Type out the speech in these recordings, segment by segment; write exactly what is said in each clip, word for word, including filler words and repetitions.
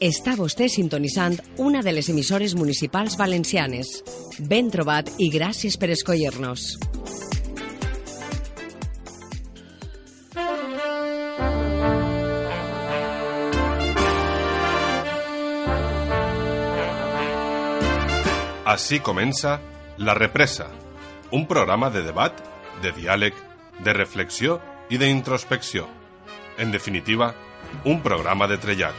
Està vostè sintonitzant una de les emissores municipals valencianes. Ben trobat i gràcies per escollir-nos. Així comença La Represa, un programa de debat, de diàleg, de reflexió i d'introspecció. En definitiva, un programa de trellat.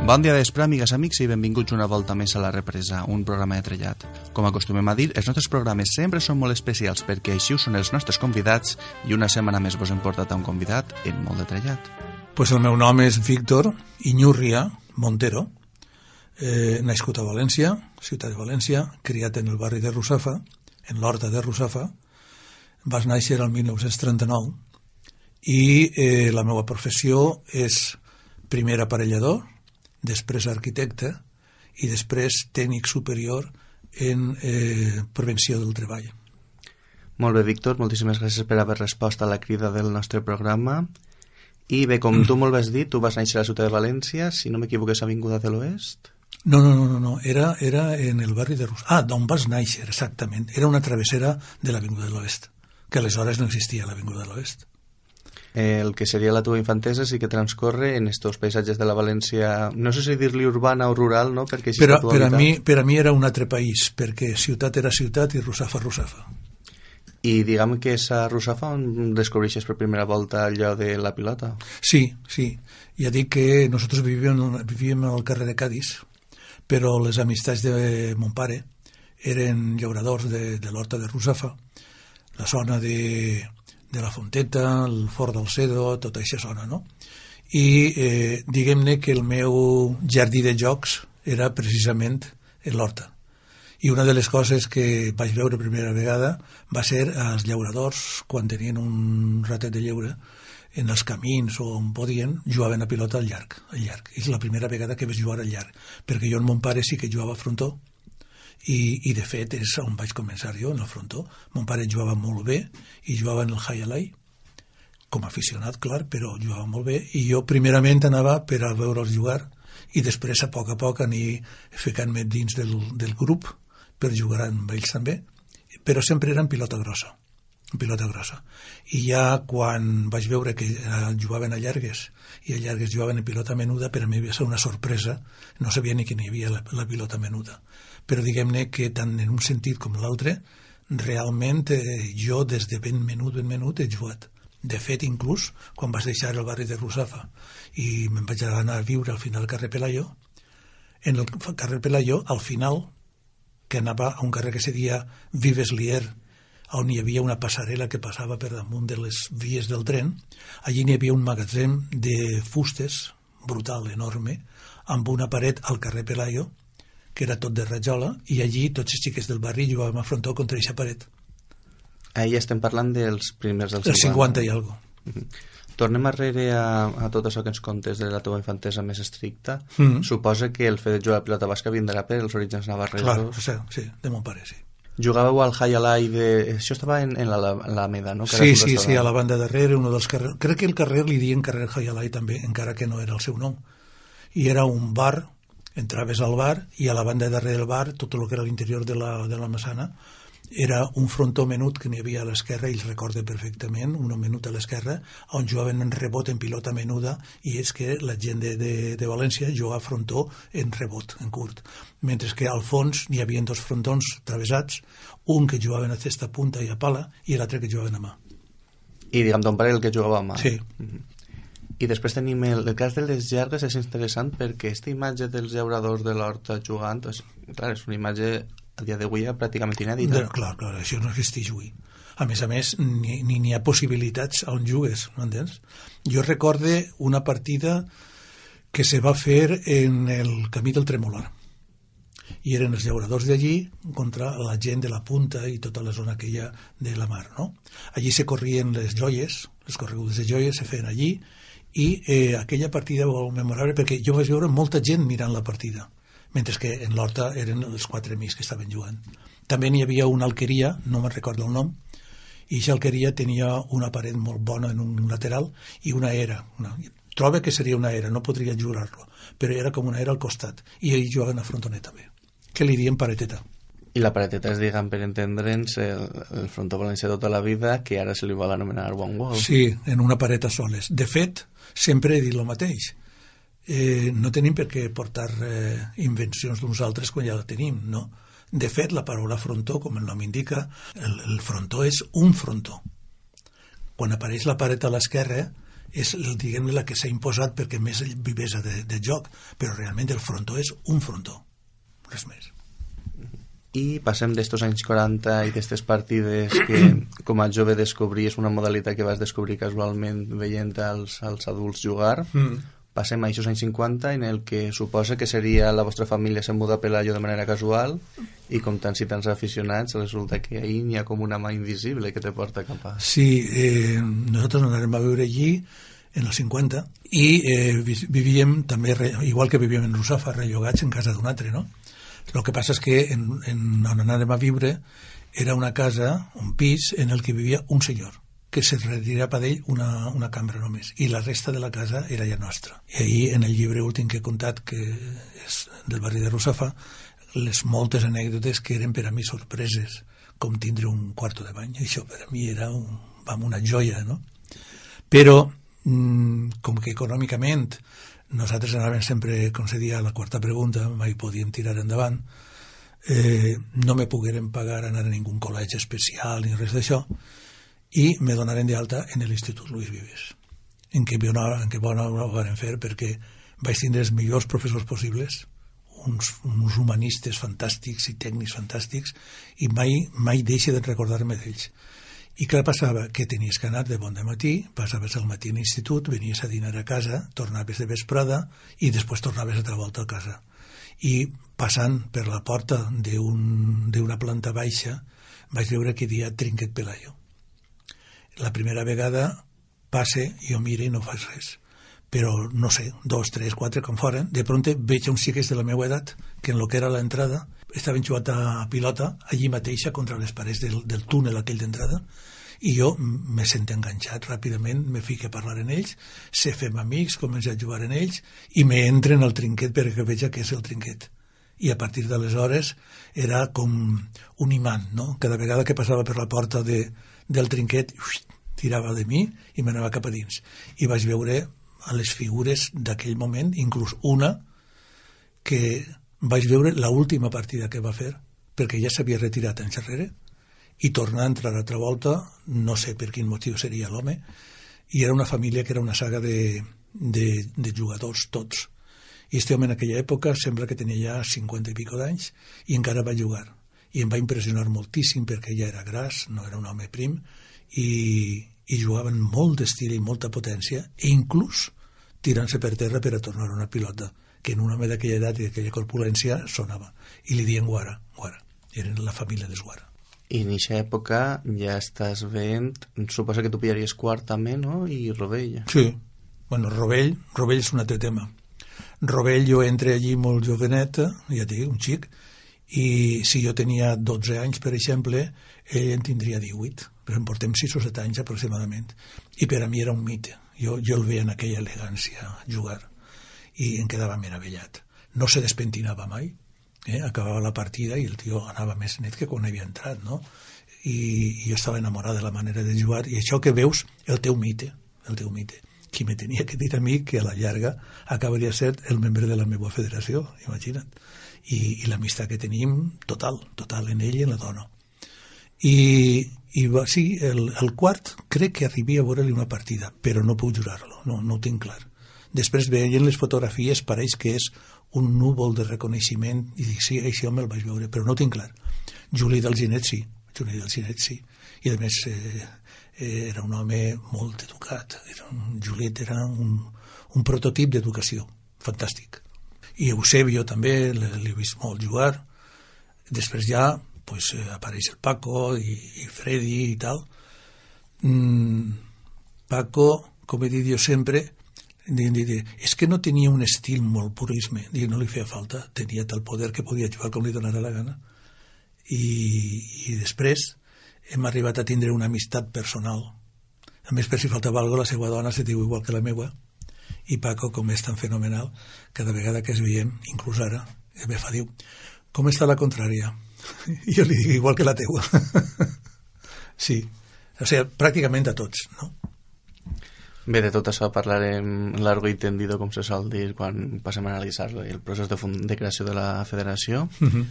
Bon dia de vespre, amigues, amics, i benvinguts una volta més a La Represa, un programa de trellat. Com acostumem a dir, els nostres programes sempre són molt especials perquè així ho són els nostres convidats i una setmana més vos hem portat a un convidat en molt de trellat. Pues el meu nom és Víctor Iñurria Montero, eh, nascut a València, ciutat de València, criat en el barri de Russafa, en l'horta de Russafa. Vas néixer el mil nou-cents trenta-nou i eh, la meva professió és primer aparellador, després arquitecte i després tècnic superior en eh, prevenció del treball. Molt bé, Víctor, moltíssimes gràcies per haver respost a la crida del nostre programa. I bé, com tu molt vas dir, tu vas néixer a la ciutat de València, si no m'equivoco és Avinguda de l'Oest? No, no, no, no, no. Era, era en el barri de Rus... Ah, d'on vas néixer, exactament. Era una travessera de l'Avinguda de l'Oest, que aleshores no existia l'Avinguda de l'Oest. El que seria la teva infantesa sí que transcorre en estos paisatges de la València, no sé si dir-li urbana o rural, no? Perquè per, a, per, a mi, per a mi era un altre país, perquè ciutat era ciutat i Russafa, Russafa. I diguem que és a Russafa on descobreixes per primera volta allò de la pilota? Sí, sí. Ja dic que nosaltres vivíem, vivíem al carrer de Cadis, però les amistats de mon pare eren llauradors de, de l'horta de Russafa, la zona de... de la Fonteta, el Fort del Cedro, tota aquesta zona, no? I eh, diguem-ne que el meu jardí de jocs era precisament l'horta. I una de les coses que vaig veure primera vegada va ser els llauradors, quan tenien un ratet de lleure, en els camins o on podien, jugaven a pilota al llarg, al llarg. És la primera vegada que vaig jugar al llarg, perquè jo amb mon pare sí que jugava a frontó, I, i de fet és on vaig començar jo, en el frontó. Mon pare jugava molt bé i jugava en el Highlight com a aficionat, clar, però jugava molt bé i jo primerament anava per a veure'ls jugar i després a poc a poc anar ficant-me dins del, del grup per jugar amb ells també, però sempre era en pilota grossa en pilota grossa i ja quan vaig veure que jugaven a llargues i a llargues jugaven en pilota menuda, per a mi va ser una sorpresa, no sabia ni que n'hi havia la, la pilota menuda, però diguem-ne que tant en un sentit com l'altre realment eh, jo des de ben menut, ben menut he jugat. De fet, inclús quan vaig deixar el barri de Russafa i me'n vaig anar a viure al final al carrer Pelayo, en el carrer Pelayo al final, que anava a un carrer que se deia Vives Lier, on hi havia una passarel·la que passava per damunt de les vies del tren, allí n'hi havia un magatzem de fustes brutal, enorme, amb una paret al carrer Pelayo, que era tot de rajola, i allí tots els xiquets del barri jugàvem a frontó contra aquesta paret. Ahí estem parlant dels primers dels cinquanta. El cinquanta i algo. Mm-hmm. Tornem arrere a, a tot això que ens contes de la teva infantesa més estricta. Mm-hmm. Suposa que el fet de jugar a pilota basca vindrà per els orígens navarresos. Clar, sí, sí, de mon pare, sí. Jugàveu al Highlight de... Això estava en, en l'Alameda, no? Que sí, sí, sí, a la banda darrere, uno dels carrers... Crec que el carrer li diuen carrer Highlight també, encara que no era el seu nom. I era un bar, entraves al bar, i a la banda darrere del bar, tot el que era l'interior de la, de la Massana, era un frontó menut que n'hi havia a l'esquerra, i el recorde perfectament, un menut a l'esquerra, on jugaven en rebot en pilota menuda, i és que la gent de, de, de València jugava a frontó en rebot, en curt. Mentre que al fons hi havia dos frontons travessats, un que jugaven a cesta punta i a pala, i l'altre que jugaven a mà. I diguem, ton pare el que jugava a mà. Sí. Mm-hmm. I després tenim el, el cas de les llargues, és interessant perquè aquesta imatge dels llauradors de l'horta jugant, és, clar, és una imatge a dia d'avui pràcticament inèdita. Clar, clar, això no existeix avui. A més a més, ni, ni hi ha possibilitats on jugues, no entens? Jo recorde una partida que se va fer en el camí del Tremolar. I eren els llauradors d'allí contra la gent de la Punta i tota la zona que hi ha de la mar, no? Allí se corrien les joies, les corregudes de joies se feien allí, i eh, aquella partida va molt memorable perquè jo vaig veure molta gent mirant la partida, mentre que en l'horta eren els quatre amics que estaven jugant. També n'hi havia una alqueria, no me'n recordo el nom, I aquesta alqueria tenia una paret molt bona en un lateral i una era. Una, troba que seria una era, no podria jurar-lo, però era com una era al costat. I ells jugaven a frontoner també, que li diem pareteta. I la pareteta és, diguem, per entendre'ns, el, el frontó valencià tota la vida, que ara se li vol anomenar one wall. Sí, en una paret a soles. De fet, sempre he dit el mateix. Eh, no tenim per què portar eh, invencions d'uns altres quan ja la tenim, no? De fet, la paraula frontó, com el nom indica, el, el frontó és un frontó. Quan apareix la paret a l'esquerra, és, diguem-ne, la que s'ha imposat perquè més vivesa de, de joc, però realment el frontó és un frontó, res més. I passem d'estos anys quaranta i d'estes partides que com a jove descobries una modalitat que vas descobrir casualment veient als, als adults jugar. Mm. Passem a aquests anys cinquanta en el que suposa que seria la vostra família se muda a Pelayo de manera casual i com tants i tants aficionats resulta que ahir n'hi ha com una mà invisible que te porta cap a... Sí, eh, nosaltres anàrem a viure allí en els cinquanta i eh, vivíem també, igual que vivíem en Russafa, rellogats en casa d'un altre, no? El que passa és que en, en, on anàrem a viure era una casa, un pis, en el que vivia un senyor, que se retirava d'ell una, una cambra només, i la resta de la casa era ja nostra. I ahir, en el llibre últim que he contat, que és del barri de Russafa, les moltes anècdotes que eren per a mi sorpreses, com tindre un quarto de bany. Això per a mi era un, vam, una joia, no? Però, mmm, com que econòmicament nosaltres anàvem sempre, com se dia, a la quarta pregunta, mai podíem tirar endavant, eh, no me poguérem pagar anar a ningú col·legi especial ni res d'això, i me donaren d'alta en l'Institut Luis Vives, en què bona, en què bona ho van fer perquè vaig tindre els millors professors possibles, uns, uns humanistes fantàstics i tècnics fantàstics, i mai, mai deixe de recordar-me d'ells. I què passava? Que tenies que anar de bon de matí, passaves al matí a l'institut, venies a dinar a casa, tornaves de vesprada i després tornaves altra volta a casa. I passant per la porta d'una planta baixa vaig veure que hi havia Trinquet Pelayo. La primera vegada passe, jo mire i no faig res. Però, no sé, dos, tres, quatre, com foren, de pronte veig uns xiques de la meva edat que en lo que era l'entrada estaven jugant a pilota allí mateixa contra les parets del, del túnel aquell d'entrada i jo me sento enganxat ràpidament, me fico a parlar en ells, se fem amics, començo a jugar en ells i me entren al trinquet perquè veig què és el trinquet. I a partir d'aleshores era com un imant, no? Cada vegada que passava per la porta de, del trinquet uix, tirava de mi i m'anava cap a dins. I vaig veure a les figures d'aquell moment, inclús una que vaig veure l'última partida que va fer, perquè ja s'havia retirat anys enrere, i tornar a entrar altra volta, no sé per quin motiu seria l'home, i era una família que era una saga de, de, de jugadors, tots. I este home en aquella època sembla que tenia ja cinquanta i pico d'anys, i encara va jugar. I em va impressionar moltíssim perquè ja era gras, no era un home prim, i, i jugaven molt d'estil i molta potència, i inclús tirant-se per terra per a tornar una pilota, que en un home d'aquella edat i d'aquella corpulència sonava. I li diuen Guara, Guara. Eren la família d'Esguara. I en aquesta època ja estàs veient, suposa que tu pillaries quart també, no? I Rovell. Sí. Bueno, Rovell, Rovell és un altre tema. Rovell jo entré allí molt jovenet, ja dic, un xic, i si jo tenia dotze anys, per exemple, ell en tindria divuit, però en portem sis o set anys aproximadament. I per a mi era un mite. Jo, jo el veia en aquella elegància jugar i em quedava meravellat. No se despentinava mai, eh? Acabava la partida i el tio anava més net que quan havia entrat, no? I, i jo estava enamorat de la manera de jugar, i això que veus, el teu mite, el teu mite. Qui me tenia que dir a mi que a la llarga acabaria ser el membre de la meva federació, imagina't. I, i l'amistat que tenim, total, total en ell i en la dona. I, i va, sí, el, el quart crec que arribia a veure-li una partida, però no puc jurar-lo, no, no ho tinc clar. Després veient les fotografies pareix que és un núvol de reconeixement i dic, sí, això me'l vaig veure, però no ho tinc clar. Juli d'Alginet sí, Juli d'Alginet sí, i a més eh, era un home molt educat, era un, Juliet era un, un prototip d'educació, fantàstic. I Eusebio també l'he vist molt jugar. Després ja pues, eh, apareix el Paco i, i Freddy i tal. Mm, Paco, com he dit jo sempre, és que no tenia un estil molt purisme, no li feia falta, tenia tal poder que podia jugar com li donara la gana. I, i després hem arribat a tindre una amistat personal. A més, per si faltava alguna cosa, la seva dona se diu igual que la meua, i Paco, com és tan fenomenal, cada vegada que es veiem, inclús ara, me fa, diu, com està la contrària? I jo li dic igual que la teua. Sí, o sigui, pràcticament a tots, no? Bé, de tot això parlarem largo i tendido, com se sol dir, quan passem a analitzar el procés de, fund de creació de la federació. Uh-huh.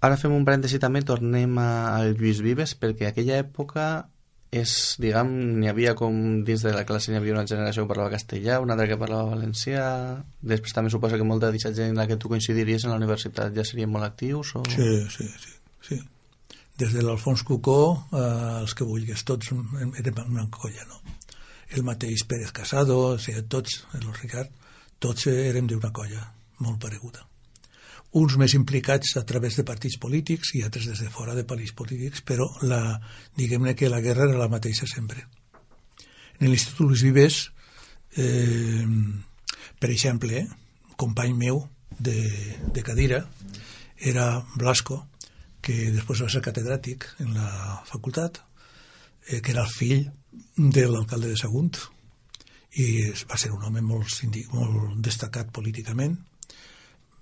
Ara fem un parèntesi també, tornem al Lluís Vives, perquè aquella època és, diguem, n'hi havia com dins de la classe n'hi havia una generació que parlava castellà, una altra que parlava valencià, després també suposa que molta d'aquesta gent en la que tu coincidiries en la universitat ja serien molt actius? O... Sí, sí, sí, sí. Des de l'Alfons Cucó, eh, els que vulguis, tots érem una colla, no? El mateix Pérez Casado, o sigui, tots, el Ricard, tots érem d'una colla molt pareguda. Uns més implicats a través de partits polítics i altres des de fora de partits polítics, però la, diguem-ne que la guerra era la mateixa sempre. En l'Institut Luis Vives, eh, per exemple, company meu de, de cadira era Blasco, que després va ser catedràtic en la facultat, eh, que era el fill de l'alcalde de Sagunt, i va ser un home molt, molt destacat políticament.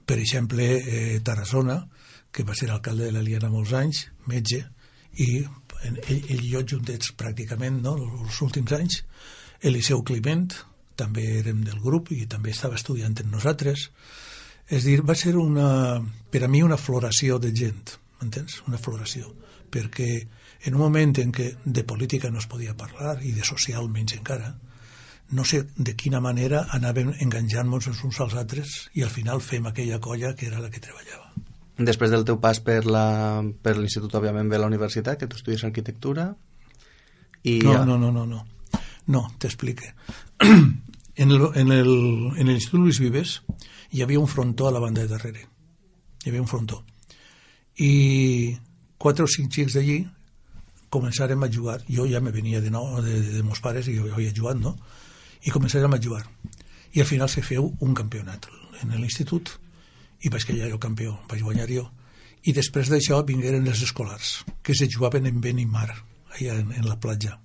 Per exemple, eh, Tarazona, que va ser alcalde de l'Eliana molts anys, metge, i ell, ell i jo juntets pràcticament, no?, els últims anys. Eliseu Climent, també érem del grup i també estava estudiant amb nosaltres. És dir, va ser una, per a mi una floració de gent, m'entens? Una floració, perquè en un moment en què de política no es podia parlar i de social menys encara, no sé de quina manera anàvem enganjant-nos els uns als altres i al final fem aquella colla que era la que treballava. Després del teu pas per la, per l'Institut, òbviament, ve a la universitat, que tu estudies arquitectura i... No, ja... no, no, no, no, no, t'explique. En el, en el, en l'Institut Luis Vives hi havia un frontó a la banda de darrere, hi havia un frontó, i quatre o cinc xics d'allí començarem a jugar. Jo ja me venia de nou de, de, de meus pares i jo havia jugat, no? I començarem a jugar. I al final se feu un campionat en l'institut i vaig quedar jo campió, vaig guanyar jo. I després d'això vingueren els escolars, que se jugaven en vent i mar, allà en, en la platja.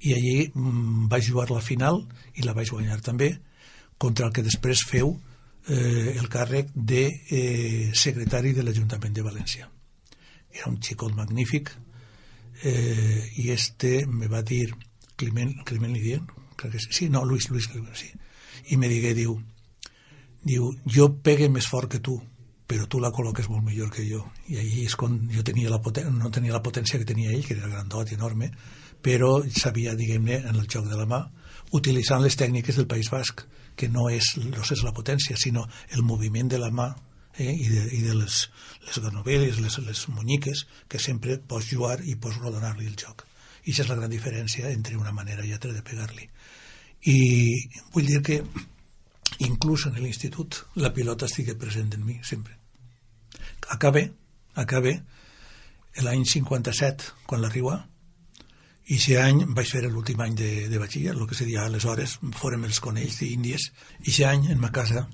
I allí mmm, vaig jugar la final i la vaig guanyar també, contra el que després feu eh, el càrrec de eh, secretari de l'Ajuntament de València. Era un xicot magnífic, eh, i este me va dir, Climent, Climent li dient, crec que sí, sí, no, Luis, Luis, sí. I me digué, diu, diu, jo pegue més fort que tu, però tu la col·loques molt millor que jo. I allí és quan jo tenia la potència, no tenia la potència que tenia ell, que era grandot i enorme, però sabia, diguem-ne, en el joc de la mà, utilitzant les tècniques del País Basc, que no és, no és la potència, sinó el moviment de la mà, eh, i de, i de les, les ganoveles, les, les monyiques, que sempre pots jugar i pots rodonar-li el joc. I això és la gran diferència entre una manera i altra de pegar-li. I vull dir que inclús en l'institut la pilota estigui present en mi sempre. Acabé, acabé l'any cinquanta-set, quan l'arriba, i aquest any vaig fer l'últim any de, de batxiller, el que se dia aleshores, fórem els conells d'Índies, i aquest any en ma casa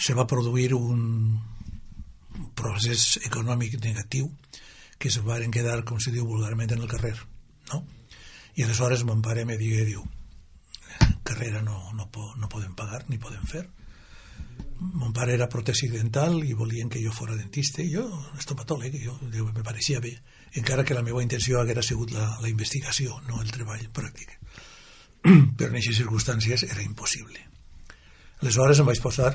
se va produir un procés econòmic negatiu que se van quedar, com se diu vulgarment, en el carrer, no? I aleshores mon pare me digué, diu, carrera no, no, no podem pagar ni podem fer. Mon pare era protèsic dental i volien que jo fora dentista i jo, estomatòleg, jo, jo me pareixia bé, encara que la meva intenció haguera sigut la, la investigació, no el treball pràctic. Però en aquestes circumstàncies era impossible. Aleshores em vaig posar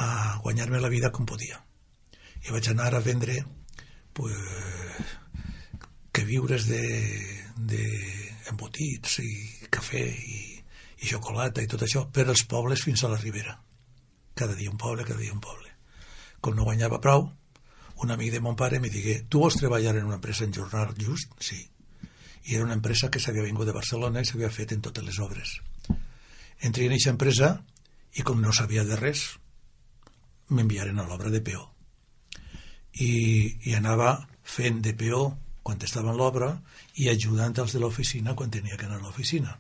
a guanyar-me la vida com podia i vaig anar a vendre pues, que viures de, de embotits i cafè i, i xocolata i tot això per als pobles fins a la Ribera. Cada dia un poble, cada dia un poble. Com no guanyava prou, un amic de mon pare me digué, tu vols treballar en una empresa en jornal just? Sí. I era una empresa que s'havia vingut de Barcelona i s'havia fet en totes les obres. Entré en aquesta empresa i com no sabia de res, m'enviaren a l'obra de peó. I, i anava fent de peó quan estava en l'obra i ajudant els de l'oficina quan tenia que anar a l'oficina.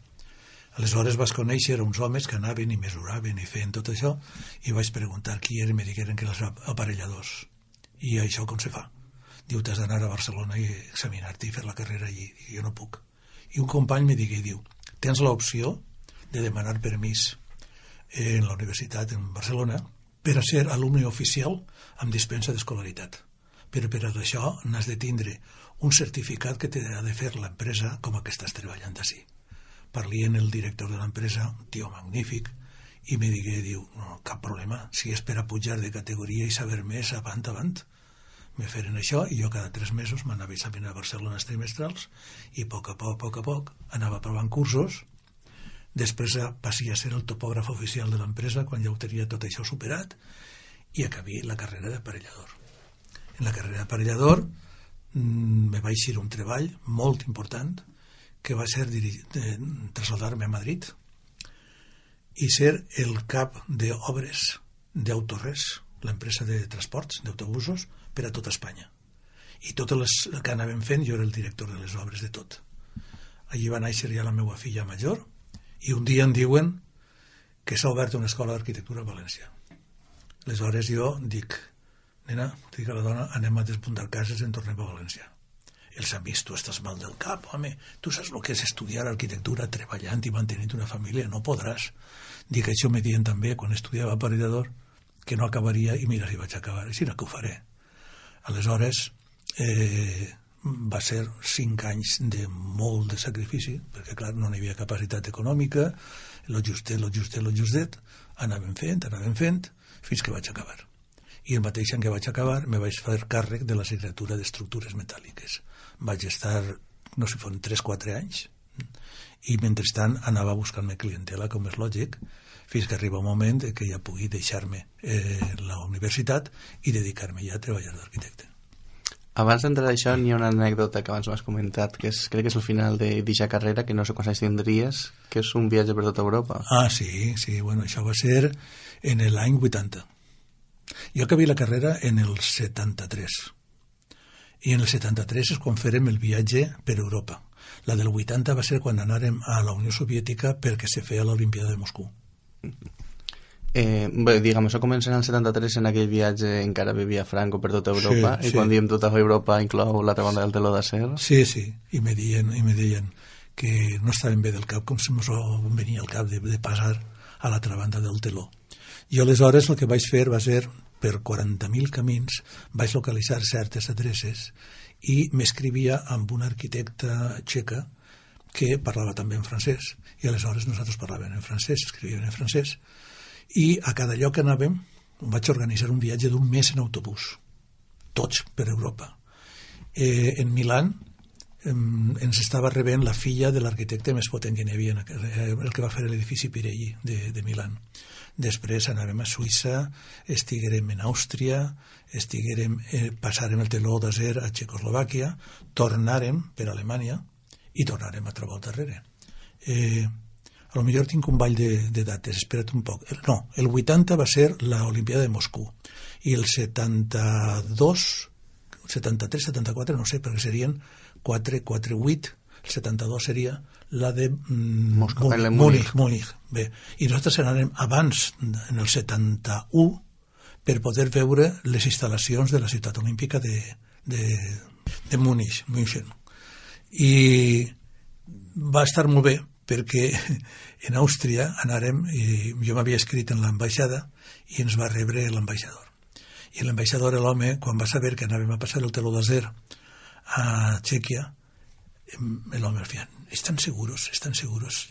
Aleshores vaig conèixer uns homes que anaven i mesuraven i feien tot això i vaig preguntar qui eren i me digueren que eren els aparelladors. I això com se fa? diu, t'has d'anar a Barcelona i examinar-te i fer la carrera allí. I jo no puc. I un company me digui, diu, tens l'opció de demanar permís en la universitat en Barcelona per a ser alumne oficial amb dispensa d'escolaritat. Però per a això n'has de tindre un certificat que t'ha de fer l'empresa com a que estàs treballant així. Parli amb el director de l'empresa, un tio magnífic, i me digué, diu, no, cap problema, si és per a pujar de categoria i saber més, avant, avant. Me feren això i jo cada tres mesos m'anava a examinar a Barcelona els trimestrals i a poc a poc, a poc a poc, anava provant cursos. Després passi a ser el topògraf oficial de l'empresa quan ja ho tenia tot això superat i acabé la carrera d'aparellador. En la carrera d'aparellador mmm, me va eixir un treball molt important que va ser traslladar-me a Madrid i ser el cap d'obres d'Autorres, l'empresa de transports, d'autobusos, per a tota Espanya. I totes les que anàvem fent, jo era el director de les obres de tot. Allí va néixer ja la meva filla major i un dia em diuen que s'ha obert una escola d'arquitectura a València. Aleshores jo dic, nena, dic a la dona, anem a despuntar cases i en tornem a València. Els amics, tu estàs mal del cap, home, tu saps el que és estudiar arquitectura treballant i mantenint una família, no podràs. Dic, això me diuen també quan estudiava aparellador, que no acabaria, i mira si vaig acabar, així no que ho faré. Aleshores, eh, va ser cinc anys de molt de sacrifici, perquè clar, no hi havia capacitat econòmica, lo justet, lo justet, lo justet, anàvem fent, anàvem fent, fins que vaig acabar. I el mateix any que vaig acabar me vaig fer càrrec de la signatura d'estructures metàl·liques. Vaig estar, no sé, foren tres o quatre anys, i mentrestant anava buscant-me clientela, com és lògic, fins que arriba un moment que ja pugui deixar-me eh, la universitat i dedicar-me ja a treballar d'arquitecte. Abans d'entrar a això, n'hi ha una anècdota que abans m'has comentat, que és, crec que és el final d'aquesta carrera, que no sé quants anys tindries, que és un viatge per tota Europa. Ah, sí, sí, bueno, això va ser en l'any vuitanta. Jo acabé la carrera en el setanta-tres. I en el setanta-tres és quan fèrem el viatge per Europa. La del vuitanta va ser quan anàrem a la Unió Soviètica perquè se feia l'Olimpiada de Moscou. Eh, bé, diguem, això comença en el setanta-tres, en aquell viatge encara vivia Franco per tota Europa, sí, i sí. Quan diem tota Europa inclou l'altra banda del teló d'acer. Sí, sí, i me deien, i me deien que no estaven bé del cap, com si ens venia al cap de, de passar a l'altra banda del teló. Jo aleshores el que vaig fer va ser, per quaranta mil camins, vaig localitzar certes adreces i m'escrivia amb una arquitecta txeca que parlava també en francès, i aleshores nosaltres parlàvem en francès, escrivíem en francès, i a cada lloc que anàvem vaig organitzar un viatge d'un mes en autobús, tots per Europa. Eh, en Milán eh, ens estava rebent la filla de l'arquitecte més potent que n'hi havia, el que va fer l'edifici Pirelli de, de Milán. Després anàvem a Suïssa, estiguérem en Àustria, estiguérem, eh, passarem el teló d'acer a Txecoslovàquia, tornarem per Alemanya i tornarem altra volta darrere. Eh, a lo millor tinc un ball de, de dates, espera't un poc. No, el vuitanta va ser l'Olimpiada de Moscou i el setanta-dos, setanta-tres, setanta-quatre, no sé, perquè serien quatre, quatre, vuit, el setanta-dos seria la de mm, Moscou, Múnich, Múnich, Múnich. Bé, i nosaltres anàrem abans, en el setanta-u, per poder veure les instal·lacions de la ciutat olímpica de, de, de Múnich, München. I va estar molt bé, perquè en Àustria anàrem, i jo m'havia escrit en l'ambaixada, i ens va rebre l'ambaixador. I l'ambaixador, l'home, quan va saber que anàvem a passar el teló d'acer a Txèquia, el hombre al final, ¿están seguros? ¿Están seguros?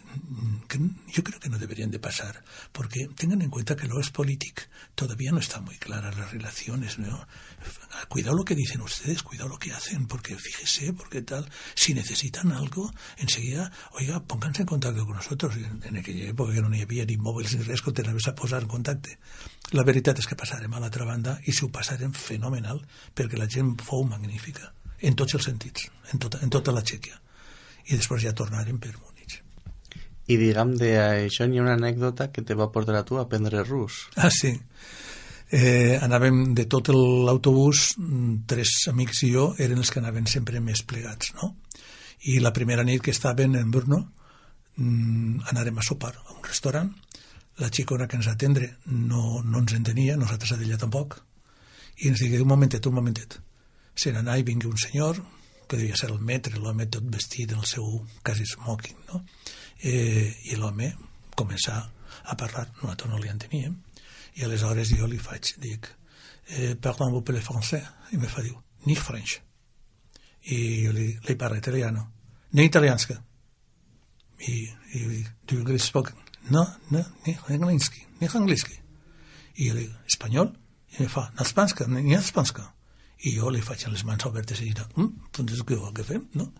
Que yo creo que no deberían de pasar, porque tengan en cuenta que lo es político, todavía no están muy claras las relaciones, ¿no? Cuidado lo que dicen ustedes, cuidado lo que hacen, porque fíjese, porque tal, si necesitan algo, enseguida, oiga, pónganse en contacto con nosotros. En aquella època que no hi havia ni mòbils ni res que t'anaves a posar en contacte. La veritat és que passarem a l'altra banda i s'ho passarem fenomenal, perquè la gent fou magnífica, en tots els sentits, en tota, en tota la Txèquia. I després ja tornarem per Múnich. I diguem, d'això n'hi ha una anècdota que te va portar a tu a aprendre rus. Ah, sí. Eh, anàvem de tot l'autobús, tres amics i jo eren els que anaven sempre més plegats, no? I la primera nit que estàvem en Brno, anàrem a sopar a un restaurant. La xicona que ens atendre no, no ens entenia, nosaltres a ella tampoc, i ens digué, un momentet, un momentet, se n'anà i vingui un senyor, que devia ser el metre, l'home tot vestit en el seu quasi smoking, no? Eh, I l'home començà a parlar, nosaltres no li enteníem, i aleshores jo li faig, dic, eh, parlem-vous per le français? I me fa, diu, ni French. I jo li, li parlo italiano, ni italianska. I, i jo dic, do you English spoken? No, no, ni angliski, ni angliski. I jo li dic, espanyol? I me fa, n'espanska, ni n'espanska. I jo li faig les mans obertes i dic, mm, doncs què vol que fem, no?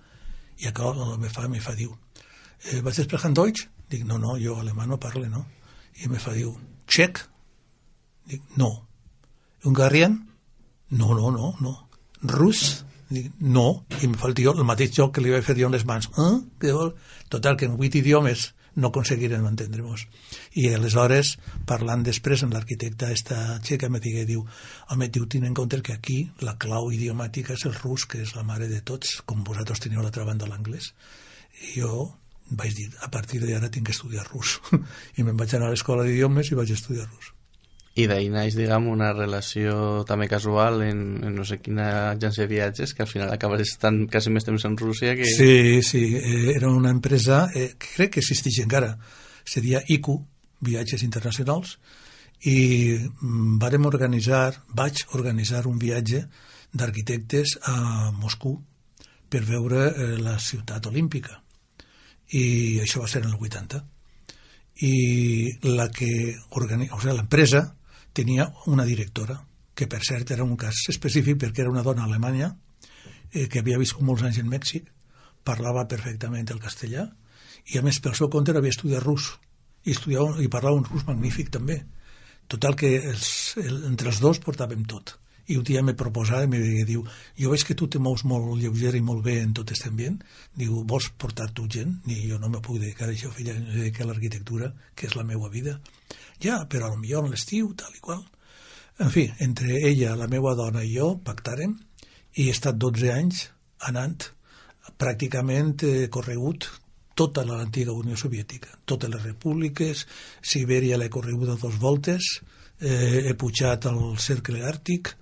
I acá me fa, me fa, diu, eh, vas sprechen Deutsch? Dic, no, no, jo alemà no parle, no? I me fa, diu, txec? Dic, no. Hungarian? No, no, no, no. Rus? Dic, no. I me fa el tio el mateix joc que li vaig fer jo amb les mans. Eh? Què vol? Total, que en vuit idiomes no aconseguirem entendre-nos. I aleshores, parlant després amb l'arquitecta esta txeca, me digué, diu, home, diu, tinc en compte que aquí la clau idiomàtica és el rus, que és la mare de tots, com vosaltres teniu a l'altra banda l'anglès. I jo vaig dir, a partir d'ara tinc que estudiar rus. I me'n vaig anar a l'escola d'idiomes i vaig estudiar rus. I d'ahir naix, diguem, una relació també casual en, en no sé quina agència de viatges, que al final acabes estant quasi més temps en Rússia que... Sí, sí, eh, era una empresa eh, que crec que existeix encara, seria I C U, Viatges Internacionals, i mm, vàrem organitzar, vaig organitzar un viatge d'arquitectes a Moscou per veure eh, la ciutat olímpica. I això va ser en el vuitanta. I la que organitza, o sigui, l'empresa tenia una directora, que per cert era un cas específic perquè era una dona alemanya eh, que havia viscut molts anys en Mèxic, parlava perfectament el castellà i a més pel seu compte havia estudiat rus i, estudiava, i parlava un rus magnífic també. Total que els, el, entre els dos portàvem tot. I un dia me proposava i me diu, jo veig que tu te mous molt lleuger i molt bé en tot aquest ambient, diu, vols portar tu gent? I jo no me puc dedicar a això, filla, em dedico a l'arquitectura, que és la meva vida. Ja, però potser en l'estiu, tal i qual. En fi, entre ella, la meva dona i jo pactàrem i he estat dotze anys anant pràcticament eh, corregut tota l'antiga Unió Soviètica, totes les repúbliques, Sibèria l'he correguda dos voltes, eh, he pujat al cercle àrtic,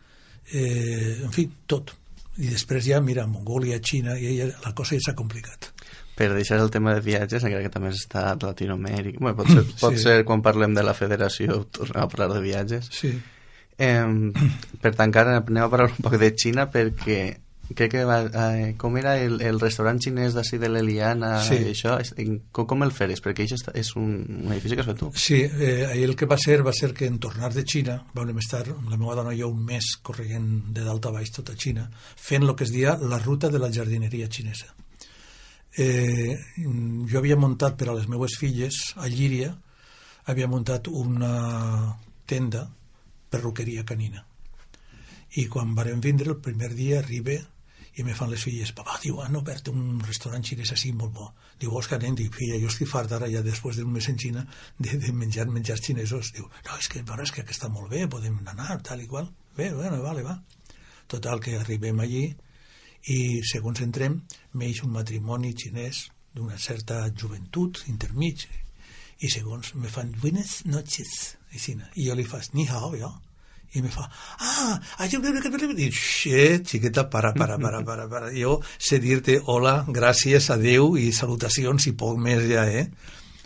eh, en fi, tot. I després ja, mira, Mongòlia, Xina, i ella, la cosa ja s'ha complicat. Per deixar el tema de viatges, encara que també has estat a Latinoamèrica, bueno, pot ser, pot sí. ser quan parlem de la federació tornem a parlar de viatges. Sí. Eh, per tancar, anem a parlar un poc de Xina, perquè crec que va, eh, com era el, el restaurant xinès d'ací de l'Eliana, sí. I això, com, com el feres? Perquè això és un, un edifici que has fet tu. Sí, eh, el que va ser va ser que en tornar de Xina vam estar, la meva dona i jo, un mes corregent de dalt a baix tota Xina, fent el que es dia la ruta de la jardineria xinesa. Eh, jo havia muntat per a les meves filles a Llíria, havia muntat una tenda perruqueria canina i quan vàrem vindre el primer dia arriba i me fan les filles, papà, diu, han obert un restaurant xinès així molt bo, diu, vols que anem? Dic, filla, jo estic fart ara ja després d'un mes en Xina de, de menjar menjars xinesos. Diu, no, és que, però és que està molt bé, podem anar, tal i qual. Bé, bueno, vale, va. Total, que arribem allí i segons entrem m'eix un matrimoni xinès d'una certa joventut intermig i segons me fan buenas noches i jo li faig ni hao jo i me fa ah, jo dic, xiqueta, para, para, para, para, para. Jo sé dir-te hola, gràcies, adeu i salutacions i poc més ja, eh?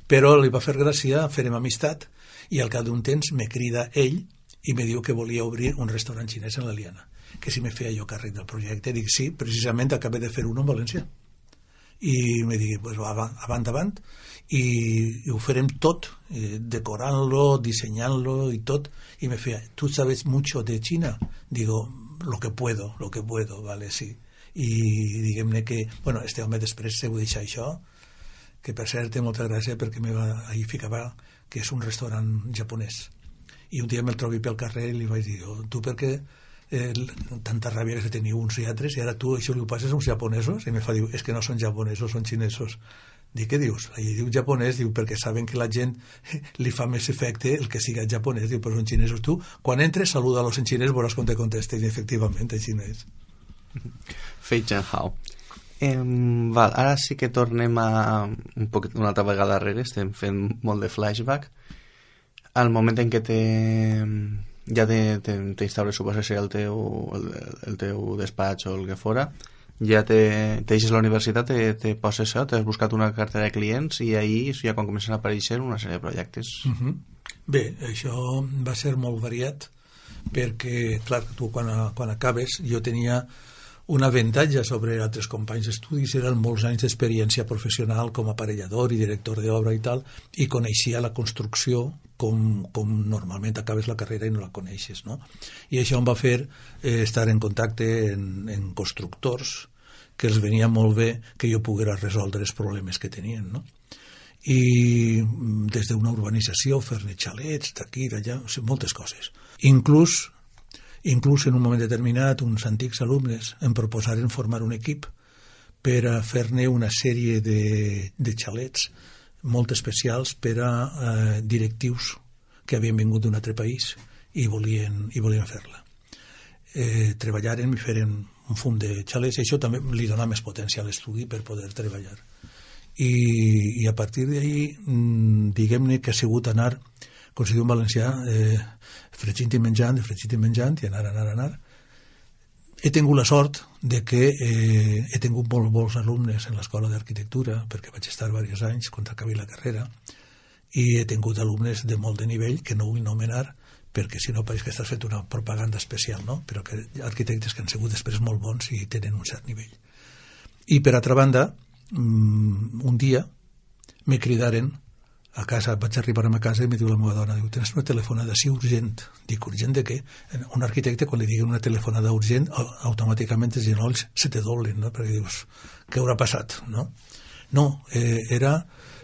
Però li va fer gràcia, farem amistat i al cap d'un temps me crida ell i me diu que volia obrir un restaurant xinès en l'Eliana, que si me feia jo càrrec del projecte. Dic, sí, precisament acabé de fer un en València. I me digui, pues, avant, avant, avant, i, i ho farem tot, eh, decorant-lo, dissenyant-lo i tot. I me feia, ¿tú sabes mucho de China? Digo, lo que puedo, lo que puedo, vale, sí. I diguem-ne que, bueno, este home després se ho deixa això, que per cert té molta gràcia perquè me va, ahir ficava que és un restaurant japonès. I un dia me'l trobi pel carrer i li vaig dir, oh, tu per què eh, tanta ràbia que teniu uns i altres i ara tu això li ho passes a uns japonesos? I me fa, diu, és que no són japonesos, són xinesos. Dic, què dius? Allí diu japonès, diu, perquè saben que la gent li fa més efecte el que siga japonès, diu, però són xinesos. Tu, quan entres, saluda-los en xinès, veuràs com te contestes, i efectivament, en xinès. Fei Chen Hao. Eh, val, ara sí que tornem a un poc, una altra vegada darrere, estem fent molt de flashback al moment en què te ja t'instal·les, suposa ser el teu, el, el teu despatx o el que fora, ja te, te deixes la universitat, te, te poses això, t'has buscat una cartera de clients i ahir ja quan comencen a aparèixer una sèrie de projectes. Uh-huh. Bé, això va ser molt variat perquè, clar, tu quan, quan acabes, jo tenia un avantatge sobre altres companys d'estudis, eren molts anys d'experiència professional com a aparellador i director d'obra i tal, i coneixia la construcció com, com normalment acabes la carrera i no la coneixes, no? I això em va fer eh, estar en contacte en, en constructors que els venia molt bé que jo poguera resoldre els problemes que tenien, no? I des d'una urbanització, fer-ne xalets d'aquí, d'allà, o sigui, moltes coses. Inclús Inclús en un moment determinat uns antics alumnes em proposaren formar un equip per a fer-ne una sèrie de, de xalets molt especials per a eh, directius que havien vingut d'un altre país i volien, i volien fer-la. Eh, treballaren i feren un fum de xalets i això també li dona més potència a l'estudi per poder treballar. I, i a partir d'ahir, diguem-ne que ha sigut anar, com si diu en valencià, eh, fregint i menjant, fregint i menjant, i anar, anar, anar. He tingut la sort de que eh, he tingut molt bons alumnes en l'escola d'arquitectura, perquè vaig estar diversos anys quan acabé la carrera, i he tingut alumnes de molt de nivell, que no vull nomenar, perquè si no pareix que estàs fent una propaganda especial, no? Però que arquitectes que han sigut després molt bons i tenen un cert nivell. I per altra banda, un dia me cridaren a casa, vaig arribar a ma casa i me diu la meva dona, diu, tens una telefonada així urgent. Dic, urgent de què? Un arquitecte, quan li diguen una telefonada urgent, automàticament els genolls se te doblen, no? Perquè dius, què haurà passat? No, no eh, era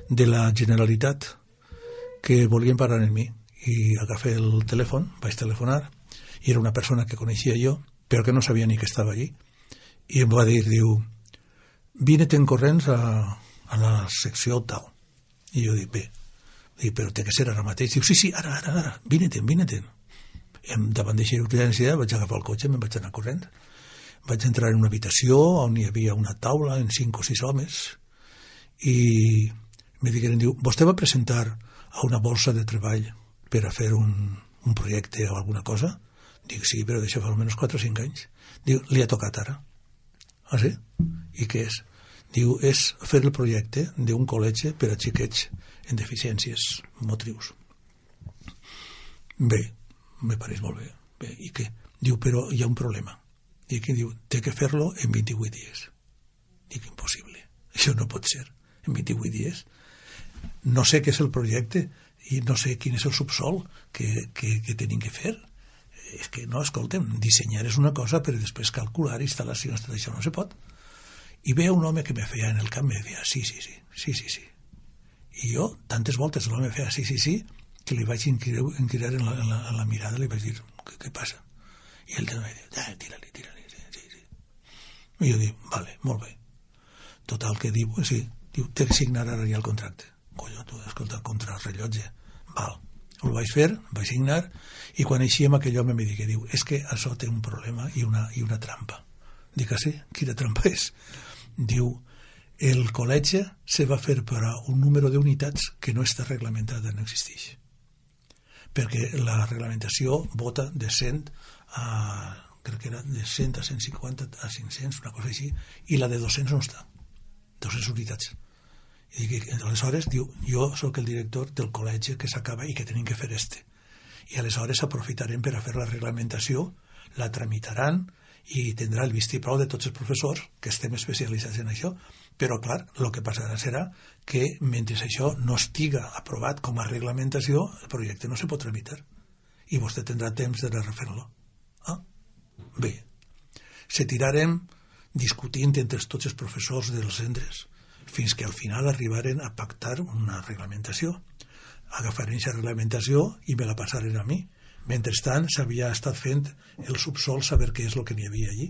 de la Generalitat que volien parlar en mi. I agafé el telèfon, vaig telefonar, i era una persona que coneixia jo, però que no sabia ni que estava allí. I em va dir, diu, vine-te'n corrents a, a la secció tal. I jo dic, bé, dic, però té que ser ara mateix. Diu, sí, sí, ara, ara, ara, vine-te'n, vine-te'n. Davant d'aquesta urgència vaig agafar el cotxe, me'n vaig anar corrent. Vaig entrar en una habitació on hi havia una taula en cinc o sis homes i me digueren, diu, vostè va presentar a una bolsa de treball per a fer un, un projecte o alguna cosa? Dic, sí, però d'això fa almenys quatre o cinc anys. Diu, li ha tocat ara. Ah, sí? I què és? Diu, és fer el projecte d'un col·legi per a xiquets en deficiències motrius. Bé, me pareix molt bé. Bé, i què? Diu, però hi ha un problema. Dic, diu, té que fer-lo en vint-i-vuit dies. Dic, impossible. Això no pot ser. En vint-i-vuit dies. No sé què és el projecte i no sé quin és el subsol que, que, que tenim que fer. És que no, escolta'm, dissenyar és una cosa, però després calcular instal·lacions, tot això no se pot. I veia un home que me feia en el camp, me deia, sí, sí, sí, sí, sí, sí. I jo, tantes voltes l'home feia sí, sí, sí, que li vaig inquirir, inquirir en, la, en, la, en la mirada, li vaig dir, què, què passa? I ell també diu, ah, tira-li, tira-li, sí, sí, sí. I jo dic, vale, molt bé. Total, que diu, sí, diu, té que signar ara ja el contracte. Colló, tu, escolta, contra el rellotge. Val, ho vaig fer, vaig signar, i quan eixíem aquell home me digui, diu, és que això té un problema i una, i una trampa. Dic, ah, sí? Quina trampa és? Diu, el col·legi se va fer per a un número d'unitats que no està reglamentada, no existeix. Perquè la reglamentació vota de cent a, crec que era de cent a cent cinquanta a cinc-cents, una cosa així, i la de dos-cents no està. dos-cents unitats. I dic, aleshores, diu, jo sóc el director del col·legi que s'acaba i que tenim que fer este. I aleshores aprofitarem per a fer la reglamentació, la tramitaran, i tindrà el vistiplau de tots els professors que estem especialitzats en això, però clar, el que passarà serà que mentre això no estiga aprovat com a reglamentació, el projecte no se pot tramitar i vostè tindrà temps de refer-lo. Ah, bé, se tirarem discutint entre tots els professors dels centres fins que al final arribaren a pactar una reglamentació. Agafaren aquesta reglamentació i me la passaren a mi. Mentrestant s'havia estat fent el subsol, saber què és el que n'hi havia allí.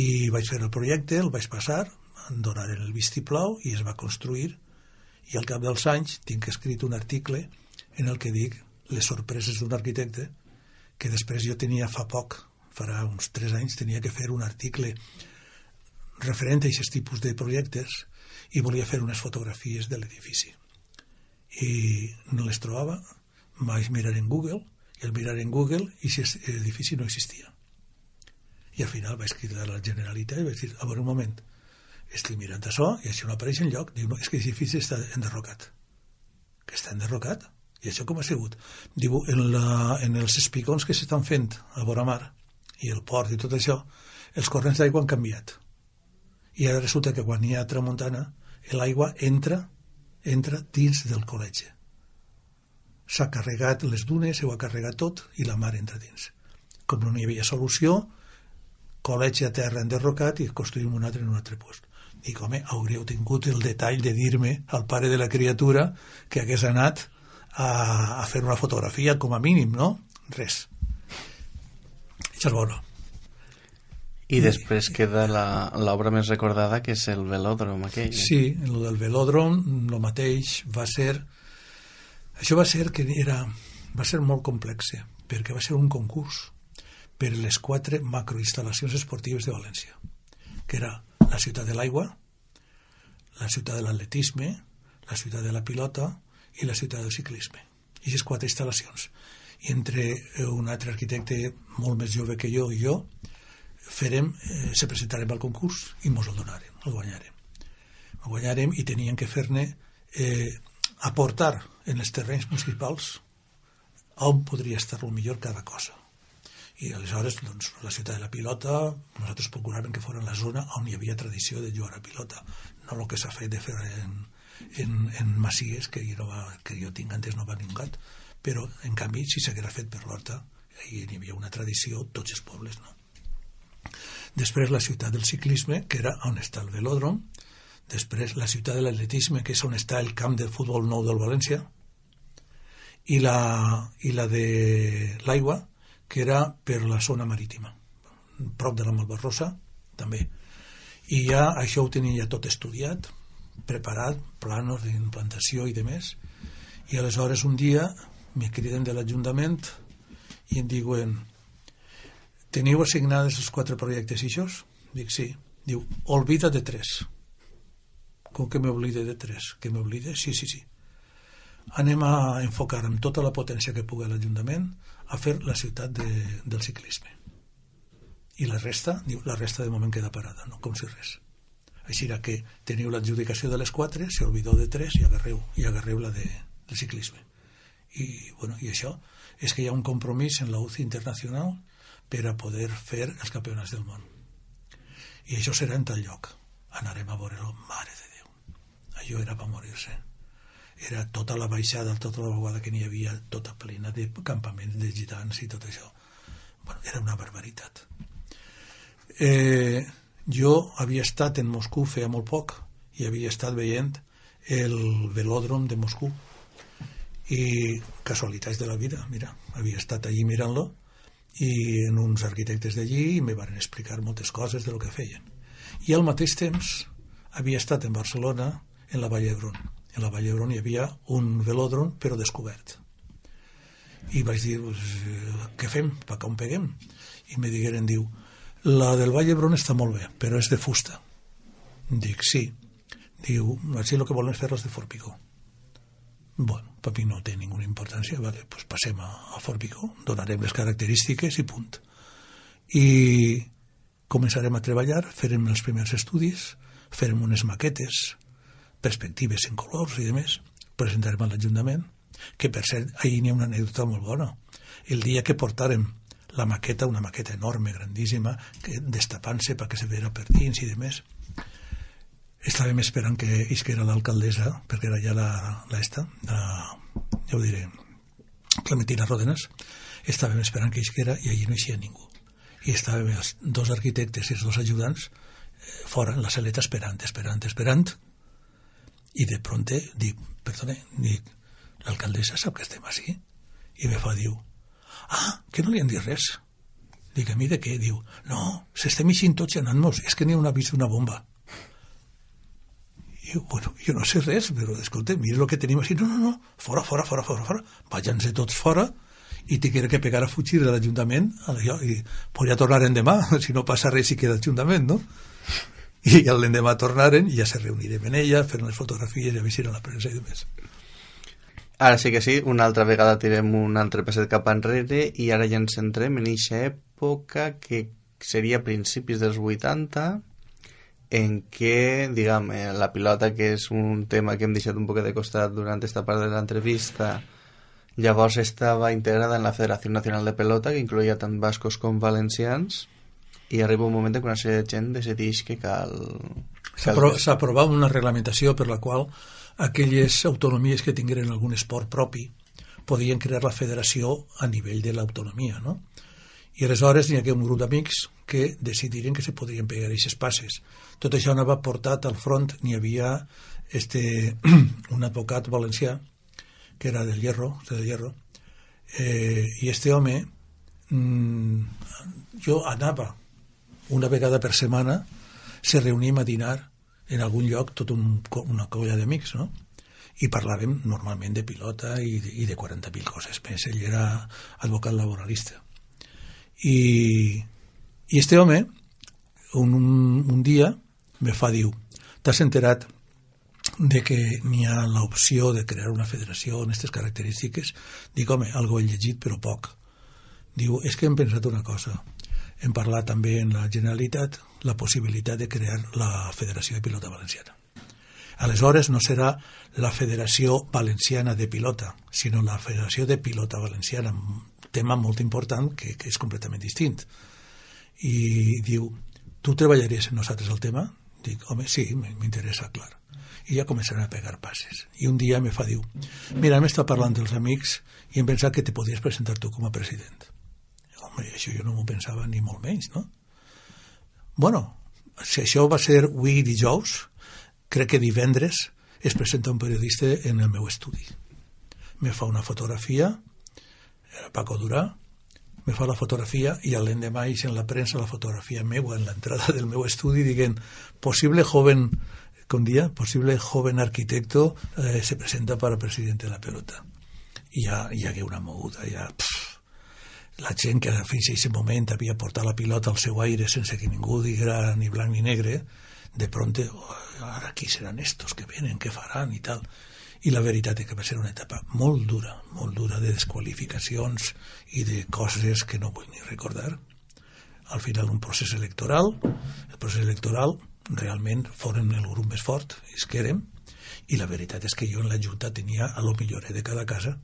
I vaig fer el projecte, el vaig passar, em donaren el vistiplau i es va construir. I al cap dels anys tinc escrit un article en el que dic les sorpreses d'un arquitecte, que després jo tenia fa poc, farà uns tres anys, tenia que fer un article referent a aquests tipus de projectes i volia fer unes fotografies de l'edifici. I no les trobava, vaig mirar en Google I el mirar en Google i aquest edifici no existia. I al final vaig cridar a la Generalitat i vaig dir, a veure un moment, estic mirant això i això no apareix enlloc. Diu, no, és que l'edifici està enderrocat. Que està enderrocat? I això com ha sigut? Diu, en, la, en els espigons que s'estan fent a vora mar i el port i tot això, els corrents d'aigua han canviat. I ara resulta que quan hi ha tramuntana, l'aigua entra, entra dins del col·legi. S'ha carregat les dunes, ho ha carregat tot i la mar entra dins. Com no hi havia solució, col·legi a terra enderrocat i construïm un altre en un altre lloc. Dic, home, hauríeu tingut el detall de dir-me al pare de la criatura que hagués anat a, a fer una fotografia com a mínim, no? Res. Això és bo. I després queda l'obra més recordada, que és el velòdrom aquell. Sí, el del velòdrom, el mateix, va ser... Això va ser que era... va ser molt complex, perquè va ser un concurs per les quatre macroinstal·lacions esportives de València, que era la ciutat de l'aigua, la ciutat de l'atletisme, la ciutat de la pilota i la ciutat del ciclisme. I aquestes quatre instal·lacions. I entre un altre arquitecte molt més jove que jo i jo, farem, eh, se presentarem al concurs i mos el donarem, el guanyarem. El guanyarem i tenien que fer-ne eh, aportar en els terrenys municipals on podria estar el millor cada cosa. I aleshores, doncs, la ciutat de la pilota, nosaltres procuràvem que fos la zona on hi havia tradició de jugar a pilota, no el que s'ha fet de fer en, en, en Masies, que jo, no va, que jo tinc antes no va ningú, però en canvi si s'haguera fet per l'Horta, hi havia una tradició, tots els pobles, no? Després la ciutat del ciclisme, que era on està el velòdrom, després la ciutat de l'atletisme, que és on està el camp de futbol nou del València, i la, i la de l'aigua, que era per la zona marítima, prop de la Malvarrosa, també. I ja això ho tenia ja tot estudiat, preparat, planos d'implantació i demés, i aleshores un dia me criden de l'Ajuntament i em diuen: teniu assignades els quatre projectes ixos? Dic, sí. Diu, olvida de tres. Com que m'oblide de tres? Que m'oblide? Sí, sí, sí. Anem a enfocar amb tota la potència que pugui l'Ajuntament a fer la ciutat de, del ciclisme. I la resta, diu, la resta de moment queda parada, no? Com si res. Així era que teniu l'adjudicació de les quatre, se olvidó de tres i agarreu, i agarreu la de, del ciclisme. I, bueno, i això és que hi ha un compromís en la U C I internacional per a poder fer els campionats del món. I això serà en tal lloc. Anarem a veure-lo, mare de Déu. Allò era per morir-se. Era tota la baixada, tota la vaguada que n'hi havia, tota plena de campaments de gitans i tot això. Bueno, era una barbaritat. Eh, jo havia estat en Moscou feia molt poc i havia estat veient el velòdrom de Moscou i casualitats de la vida, mira, havia estat allí mirant-lo i en uns arquitectes d'allí me van explicar moltes coses de lo que feien. I al mateix temps havia estat en Barcelona, en la Vall d'Hebron. En la Vall d'Hebron hi havia un velòdrom però descobert. I vaig dir, pues, què fem? Per on peguem? I me digueren, diu, la del Vall d'Hebron està molt bé, però és de fusta. Dic, sí. Diu, així el que volen fer és de Formigó. Bueno, per mi no té ninguna importància, vale, pues passem a, a Formigó, donarem les característiques i punt. I començarem a treballar, farem els primers estudis, farem unes maquetes, perspectives en colors i demés, presentarem a l'Ajuntament, que per cert, ahir n'hi ha una anècdota molt bona. El dia que portàrem la maqueta, una maqueta enorme, grandíssima, que destapant-se perquè se veia per dins i demés, estàvem esperant que isquera l'alcaldessa, perquè era ja la, la esta, la, ja ho diré, Clementina Ródenas, estàvem esperant que isquera i allí no hi ningú. I estàvem els dos arquitectes i els dos ajudants eh, fora, en la saleta, esperant, esperant, esperant, i de pronto dic, perdone, dic, l'alcaldessa sap que estem així? I me fa, diu, ah, que no li han dit res. Dic, a mi de què? Diu, no, s'estem eixint tots i anant-nos, és que n'hi ha una vist una bomba. I jo, bueno, jo no sé res, però escolta, mira el que tenim així, no, no, no, fora, fora, fora, fora, fora, vayan-se tots fora i te quiere que pegar a fugir de l'Ajuntament i podria tornar endemà, si no passa res i queda l'Ajuntament, no? I l'endemà tornaren i ja se reunirem en ella, fer unes fotografies i a veure si era la premsa i demés. Ara sí que sí, una altra vegada tirem un altre passet cap enrere i ara ja ens centrem en eixa època que seria a principis dels vuitanta, en què, diguem, la pilota, que és un tema que hem deixat un poc de costat durant esta part de l'entrevista, llavors estava integrada en la Federació Nacional de Pelota, que incloïa tant bascos com valencians, i arriba un moment en què una sèrie de gent decideix que cal... S'aprovava una reglamentació per la qual aquelles autonomies que tingueren algun esport propi podien crear la federació a nivell de l'autonomia, no? I aleshores hi havia un grup d'amics que decidiren que se podrien pegar aquestes passes. Tot això anava portat al front, n'hi havia este, un advocat valencià que era del Hierro, del Hierro, eh, i este home, mmm, jo anava una vegada per setmana, se reuníem a dinar en algun lloc, tot un, una colla d'amics, no? I parlàvem normalment de pilota i de, i de quaranta mil coses més. Ell era advocat laboralista. I, i este home, un, un, un dia, me fa, diu, t'has enterat de que n'hi ha l'opció de crear una federació amb aquestes característiques? Dic, home, algo he llegit, però poc. Diu, és que hem pensat una cosa. Hem parlat també en la Generalitat la possibilitat de crear la Federació de Pilota Valenciana. Aleshores no serà la Federació Valenciana de Pilota, sinó la Federació de Pilota Valenciana, un tema molt important que, que és completament distint. I diu, tu treballaries amb nosaltres el tema? Dic, home, sí, m'interessa, clar. I ja començaran a pegar passes. I un dia me fa, diu, mira, hem estat parlant dels amics i hem pensat que te podies presentar tu com a president. Home, això jo no m'ho pensava ni molt menys, no? Bueno, si això va ser avui dijous, crec que divendres es presenta un periodista en el meu estudi. Me fa una fotografia, era Paco Durà, me fa la fotografia i l'endemà ix en la premsa la fotografia meua en l'entrada del meu estudi dient, possible joven, con día, posible joven arquitecto eh, se presenta para presidente de la pelota. I ja hi hagué una moguda, ja... Pff, la gent que fins a aquest moment havia portat la pilota al seu aire sense que ningú diguera ni blanc ni negre, de pronto, oh, ara qui seran estos que venen, què faran i tal. I la veritat és que va ser una etapa molt dura, molt dura de desqualificacions i de coses que no vull ni recordar. Al final un procés electoral, el procés electoral realment foren el grup més fort, és que érem, i la veritat és que jo en la Junta tenia a lo millor de cada casa,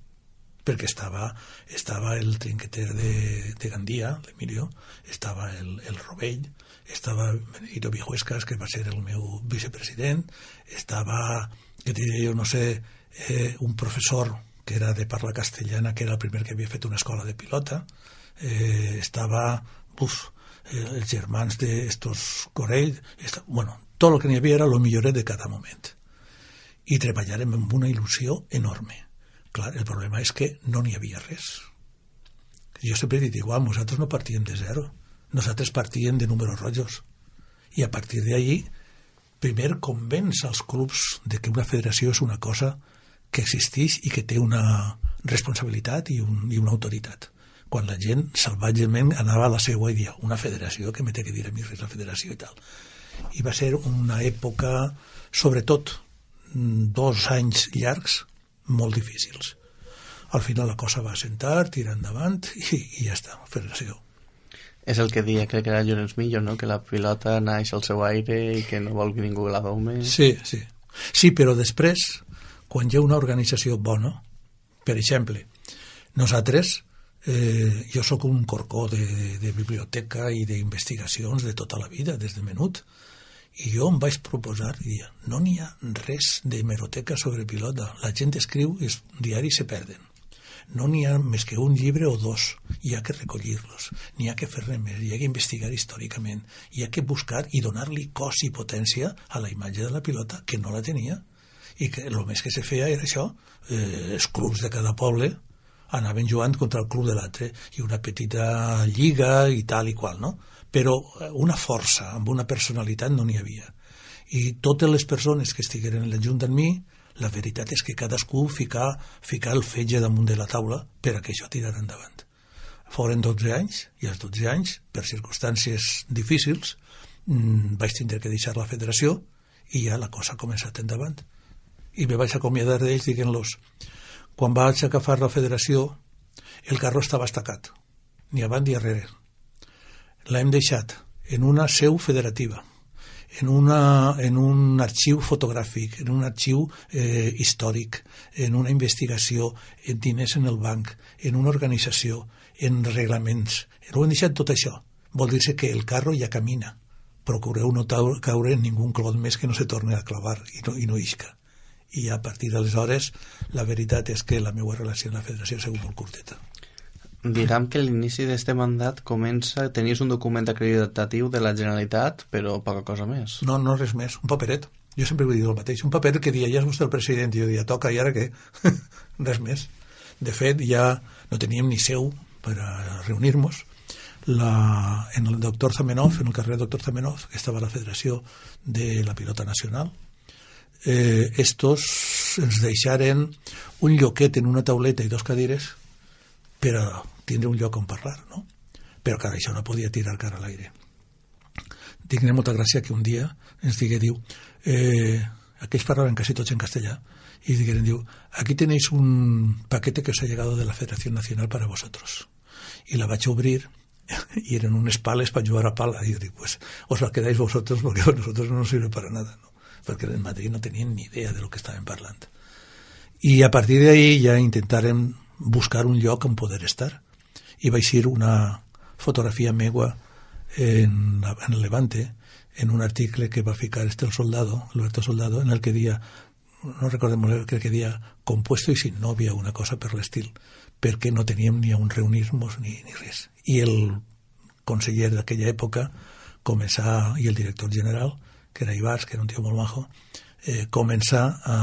perquè estava, estava el trinqueter de, de Gandia, l'Emilio, estava el, el Rovell, estava Benedito Vijuescas, que va ser el meu vicepresident, estava, que diria jo, no sé, eh, un professor que era de parla castellana, que era el primer que havia fet una escola de pilota, eh, estava, uf, eh, els germans d'estos Corell, esta, bueno, tot el que n'hi havia era el milloret de cada moment. I treballàrem amb una il·lusió enorme. Clar, el problema és que no n'hi havia res. Jo sempre he dit igual, nosaltres no partíem de zero, nosaltres partíem de números rojos. I a partir d'ahí, primer convenç als clubs de que una federació és una cosa que existeix i que té una responsabilitat i, un, i una autoritat. Quan la gent salvatgement anava a la seva i dia, una federació, que me té que dir a mi res la federació i tal. I va ser una època, sobretot, dos anys llargs, molt difícils. Al final la cosa va assentar, tirar endavant i, i ja està, federació. És el que dia, crec que era Llorenç Millo, no? Que la pilota naix al seu aire i que no vol que ningú la dome. Sí, sí. Sí, però després, quan hi ha una organització bona, per exemple, nosaltres, eh, jo sóc un corcó de, de, de biblioteca i d'investigacions de tota la vida, des de menut, i jo em vaig proposar, dia, no n'hi ha res d'hemeroteca sobre pilota. La gent escriu i els diaris se perden. No n'hi ha més que un llibre o dos. Hi ha que recollir-los. N'hi ha que fer-ne més. Hi ha que investigar històricament. Hi ha que buscar i donar-li cos i potència a la imatge de la pilota, que no la tenia. I que el més que se feia era això. Eh, els clubs de cada poble anaven jugant contra el club de l'altre i una petita lliga i tal i qual, no? Però una força, amb una personalitat no n'hi havia. I totes les persones que estigueren en la Junta amb mi, la veritat és que cadascú ficar, ficar el fetge damunt de la taula per a que això tirara endavant. Foren dotze anys, i als dotze anys, per circumstàncies difícils, mmm, vaig tindre que deixar la federació i ja la cosa ha començat endavant. I me vaig acomiadar d'ells dient-los, quan vaig agafar la federació, el carro estava estacat, ni avant ni darrere. L'hem deixat en una seu federativa, en, una, en un arxiu fotogràfic, en un arxiu eh, històric, en una investigació, en diners en el banc, en una organització, en reglaments. Ho hem deixat tot això. Vol dir que el carro ja camina. Procureu no caure en ningú clot més que no se torni a clavar i no, i no isca. I a partir d'aleshores la veritat és que la meva relació amb la federació ha sigut molt curteta. Diguem que l'inici d'este mandat comença, tenies un document acreditatiu de la Generalitat, però poca cosa més. No, no res més, un paperet. Jo sempre vull dir el mateix, un paper que dia, ja és vostè el president, i jo dia, toca, i ara què? Res més. De fet, ja no teníem ni seu per a reunir-nos. La, en el doctor Zamenhof, en el carrer doctor Zamenhof, que estava a la Federació de la Pilota Nacional, eh, estos ens deixaren un lloquet en una tauleta i dos cadires per a tindre un lloc on parlar, no? Però que això no podia tirar cara a l'aire. Tinc molta gràcia que un dia ens digui, diu, eh, aquells parlaven quasi tots en castellà, y digueren, diu, aquí tenéis un paquete que os ha llegado de la Federación Nacional para vosotros. Y la vaig obrir y eran unes pales para jugar a pala. Y yo digo, pues os la quedáis vosotros porque a nosotros no nos sirve para nada, ¿no? Porque en Madrid no tenían ni idea de lo que estaven parlant. I a partir d'ahí ja intentarem buscar un lloc on poder estar. I vaig ir una fotografia meua en, la, en el Levante, en un article que va ficar este el soldado, Alberto Soldado, en el que dia, no recordem molt, crec que dia compuesto i sin novia, una cosa per l'estil, perquè no teníem ni on reunir-nos ni, ni res. I el conseller d'aquella època començà, i el director general, que era Ibars, que era un tio molt majo, eh, començà a,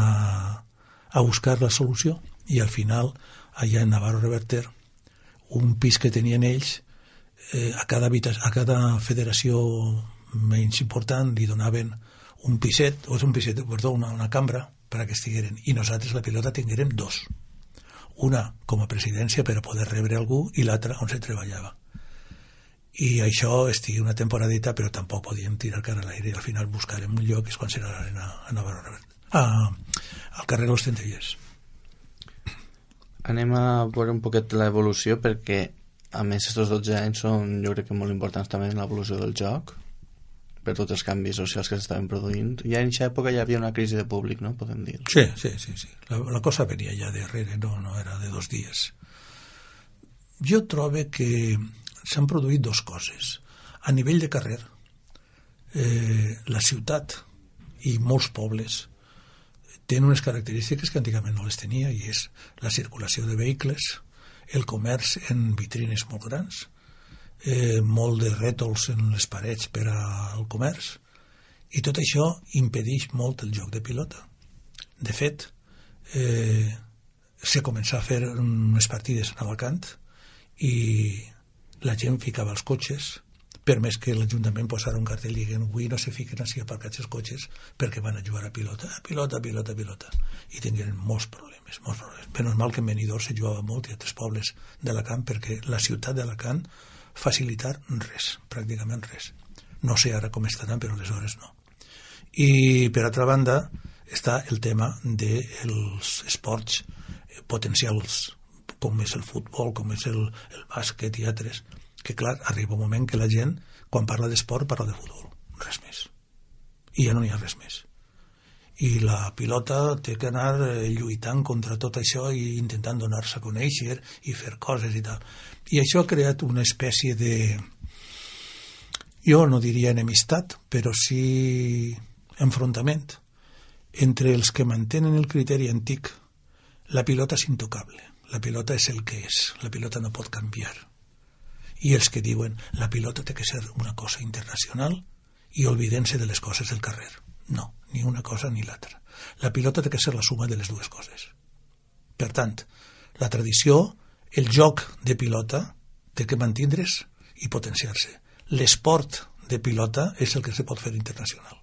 a buscar la solució, i al final, allà en Navarro Reverter, un pis que tenien ells, eh, a, cada a cada federació menys important li donaven un piset, o és un piset, perdó, una, una cambra per a que estigueren, i nosaltres la pilota tinguérem dos, una com a presidència per a poder rebre algú i l'altra on se treballava. I això estigui una temporadeta, però tampoc podíem tirar cara a l'aire, i al final buscarem un lloc, és quan serà l'arena a Navarro Reverter, a, al carrer Los Centellers. Anem a veure un poquet l'evolució, perquè a més aquests dotze anys són, jo crec que molt importants també en l'evolució del joc, per tots els canvis socials que s'estaven produint. Ja en aquesta època ja havia una crisi de públic, no? Podem dir. Sí, sí, sí, sí. La, la cosa venia ja darrere, no, no era de dos dies. Jo trobo que s'han produït dues coses. A nivell de carrer, eh, la ciutat i molts pobles tenen unes característiques que antigament no les tenia, i és la circulació de vehicles, el comerç en vitrines molt grans, eh, molt de rètols en les parets per al comerç, i tot això impedeix molt el joc de pilota. De fet, eh, se començà a fer unes partides en Alacant i la gent ficava els cotxes, per més que l'Ajuntament posara un cartell i diguin, avui no se fiquen així aparcats els cotxes perquè van a jugar a pilota, pilota, pilota, pilota, i tingueren molts problemes, molts problemes. Menys mal que en Benidorm se jugava molt i altres pobles d'Alacant, perquè la ciutat d'Alacant facilitar res, pràcticament res. No sé ara com estaran, però aleshores no. I per altra banda està el tema dels esports potencials, com és el futbol, com és el, el bàsquet i altres, que clar, arriba un moment que la gent, quan parla d'esport, parla de futbol, res més. I ja no hi ha res més. I la pilota té que anar lluitant contra tot això i intentant donar-se a conèixer i fer coses i tal. I això ha creat una espècie de, jo no diria enemistat, però sí enfrontament entre els que mantenen el criteri antic. La pilota és intocable, la pilota és el que és, la pilota no pot canviar. I els que diuen la pilota té que ser una cosa internacional i olvidem-se de les coses del carrer. No, ni una cosa ni l'altra. La pilota té que ser la suma de les dues coses. Per tant, la tradició, el joc de pilota té que mantindre's i potenciar-se. L'esport de pilota és el que se pot fer internacional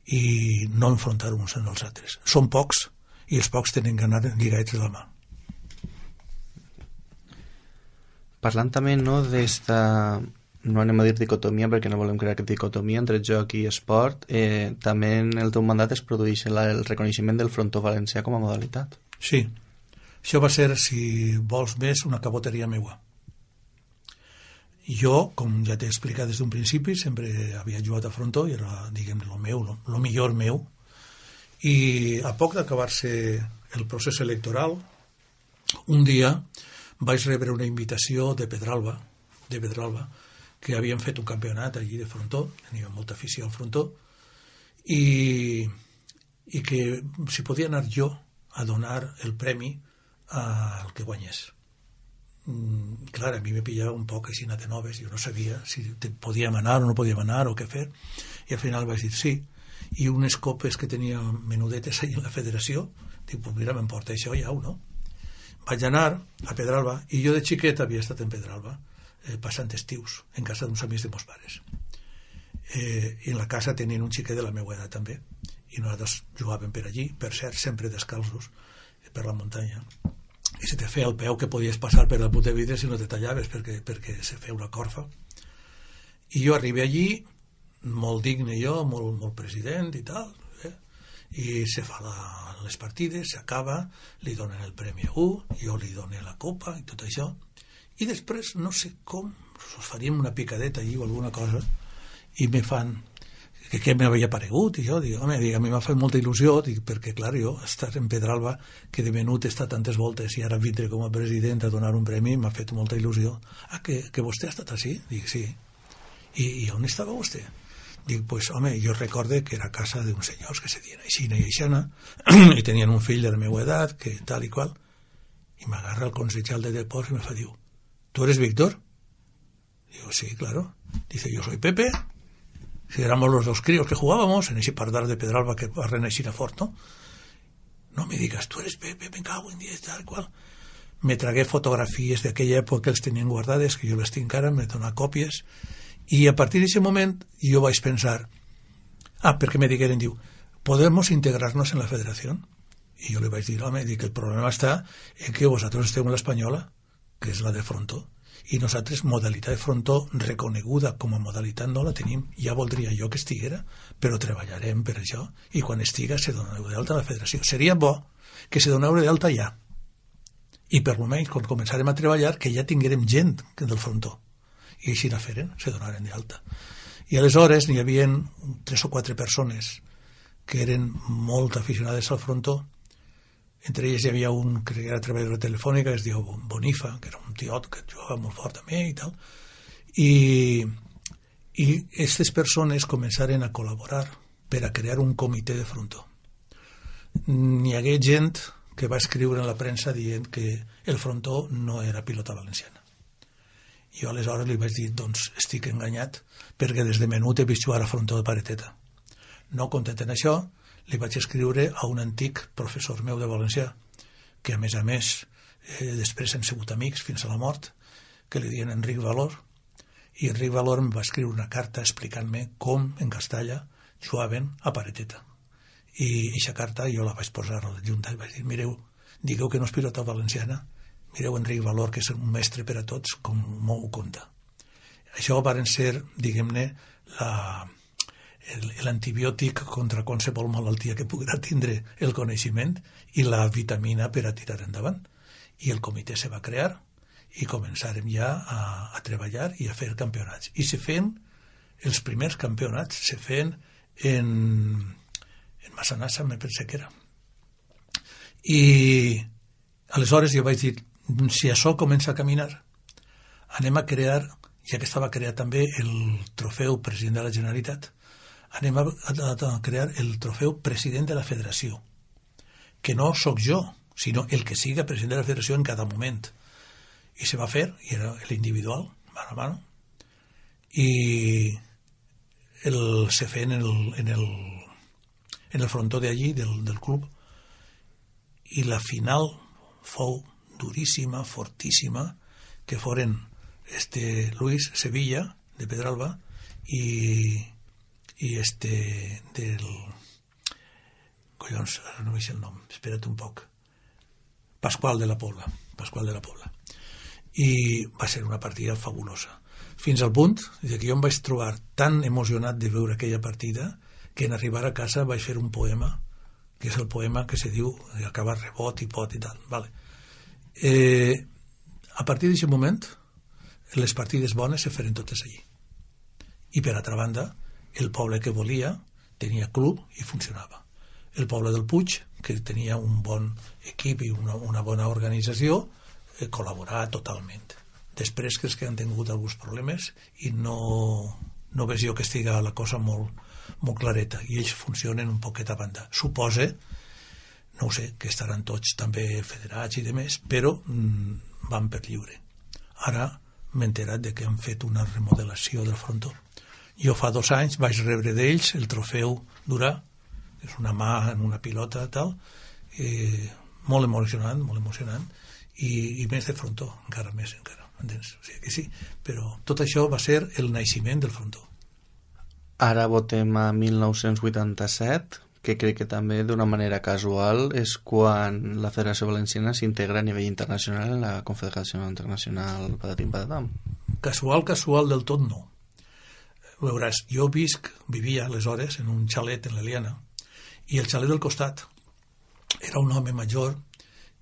i no enfrontar uns en els altres. Són pocs i els pocs tenen que anar lligats de la mà. Parlant també, no, d'esta, no anem a dir dicotomia perquè no volem crear dicotomia entre joc i esport, eh, també en el teu mandat es produeix la, el reconeixement del frontó valencià com a modalitat. Sí, Això va ser, si vols més, una caboteria meua. Jo, com ja t'he explicat des d'un principi, sempre havia jugat a frontó i era, diguem, el meu, el millor meu. I a poc d'acabar-se el procés electoral, un dia vaig rebre una invitació de Pedralba, de Pedralba, que havien fet un campionat allí de frontó, tenia molta afició al frontó, i, i que si podia anar jo a donar el premi al que guanyés. Mm, clar, a mi me pillava un poc així de noves, jo no sabia si podíem anar o no podíem anar o què fer, i al final vaig dir sí, i unes copes que tenia menudetes ahí en la federació, dic, pues mira, m'emporta això ja, no? Vaig anar a Pedralba, i jo de xiquet havia estat en Pedralba, eh, passant estius, en casa d'uns amics de meus pares. Eh, I en la casa tenien un xiquet de la meva edat també, i nosaltres jugàvem per allí, per cert, sempre descalços, per la muntanya. I se te feia el peu que podies passar per el punt de vidre si no te tallaves, perquè, perquè se feia una corfa. I jo arribé allí, molt digne jo, molt, molt president i tal, eh? I se fa la, les partides, s'acaba, li donen el premi a un, jo li dono la copa i tot això, i després no sé com us faríem una picadeta allí o alguna cosa, i me fan que què m'havia paregut, i jo dic, home, dic, a mi m'ha fet molta il·lusió, dic, perquè clar, jo estar en Pedralba, que de menut està tantes voltes i ara vindre com a president a donar un premi, m'ha fet molta il·lusió. Ah, que, que vostè ha estat així? Dic, sí. I, i on estava vostè? Dic, pues, home, jo recorde que era casa d'uns senyors que se dien aixina i aixana, i tenien un fill de la meva edat, que tal i qual, i m'agarra el consejal de deports i me fa, diu, ¿tú eres Víctor? Digo, sí, claro. Dice, yo soy Pepe. Si éramos los dos críos que jugábamos en ese pardal de Pedralba que va a reneixir a fort, ¿no? No me digas, tú eres Pepe, me cago en diez, tal cual. Me tragué fotografies d'aquella època que els tenien guardades, que jo les tinc ara, me dona còpies, i a partir d'aquest moment jo vaig pensar, ah, perquè me digueren, diu, ¿podemos integrarnos en la federació? I jo li vaig dir, home, dic, el problema està en que vosaltres esteu en l'espanyola, que és la de frontó, i nosaltres modalitat de frontó reconeguda com a modalitat no la tenim. Ja voldria jo que estiguera, però treballarem per això, i quan estiga se doneu d'alta a la federació. Seria bo que se doneu d'alta ja, i per almenys quan començarem a treballar que ja tinguérem gent del frontó, i així la feren, se donaren d'alta. I aleshores n'hi havia tres o quatre persones que eren molt aficionades al frontó. Entre ells hi havia un que era treballador telefònica que es diu Bonifa, que era un tiot que jugava molt fort també i tal, i i aquestes persones començaren a col·laborar per a crear un comitè de frontó. N'hi hagué gent que va escriure en la premsa dient que el frontó no era pilota valenciana. Jo aleshores li vaig dir, doncs estic enganyat, perquè des de menut he vist jugar a frontó de pareteta. No content en això, li vaig escriure a un antic professor meu de valencià, que a més a més eh, després hem sigut amics fins a la mort, que li diuen Enric Valor, i Enric Valor em va escriure una carta explicant-me com en Castalla jugaven a pareteta. I aquesta carta jo la vaig posar a la Junta i vaig dir, mireu, digueu que no és pilota valenciana, mireu Enric Valor, que és un mestre per a tots, com m'ho conta. Això varen ser, diguem-ne, la... l'antibiòtic contra qualsevol malaltia que puguera tindre el coneixement i la vitamina per a tirar endavant. I el comitè se va crear i començarem ja a, a treballar i a fer campionats. I se feien, els primers campionats se feien en, en Massanassa, me pensé que era. I aleshores jo vaig dir, si això comença a caminar, anem a crear, ja que estava creat també el trofeu president de la Generalitat, anem a, a, a crear el trofeu president de la federació, que no sóc jo, sinó el que siga president de la federació en cada moment. I se va fer, i era l'individual, mano a mano, i el, se feien en el, en el, en el frontó d'allí, del, del club, i la final fou duríssima, fortíssima, que foren este Luis Sevilla, de Pedralba, i i este del collons, ara no veig el nom, espera't un poc, Pasqual de la Pobla, Pasqual de la Pobla, i va ser una partida fabulosa, fins al punt que jo em vaig trobar tan emocionat de veure aquella partida que en arribar a casa vaig fer un poema, que és el poema que se diu acabar rebot i pot i tal, vale. Eh, a partir d'aquest moment, les partides bones se feren totes allí. I per altra banda, el poble que volia tenia club i funcionava. El poble del Puig, que tenia un bon equip i una, una bona organització, eh, col·laborava totalment. Després crec que han tingut alguns problemes i no, no veig jo que estiga la cosa molt, molt clareta, i ells funcionen un poquet a banda. Supose, no ho sé, que estaran tots també federats i demés, però mm, van per lliure. Ara m'he enterat de que han fet una remodelació del frontó. Jo fa dos anys vaig rebre d'ells el trofeu Durà, que és una mà en una pilota tal, eh, molt emocionant, molt emocionant, i, i més de frontó, encara més, encara, entens? O sigui que sí, però tot això va ser el naixement del frontó. Ara votem a mil nou-cents vuitanta-set, que crec que també d'una manera casual és quan la Federació Valenciana s'integra a nivell internacional en la Confederació Internacional Patatim Patatam. Casual, casual del tot no. Veuràs, jo visc, vivia aleshores en un xalet en l'Eliana, i el xalet del costat era un home major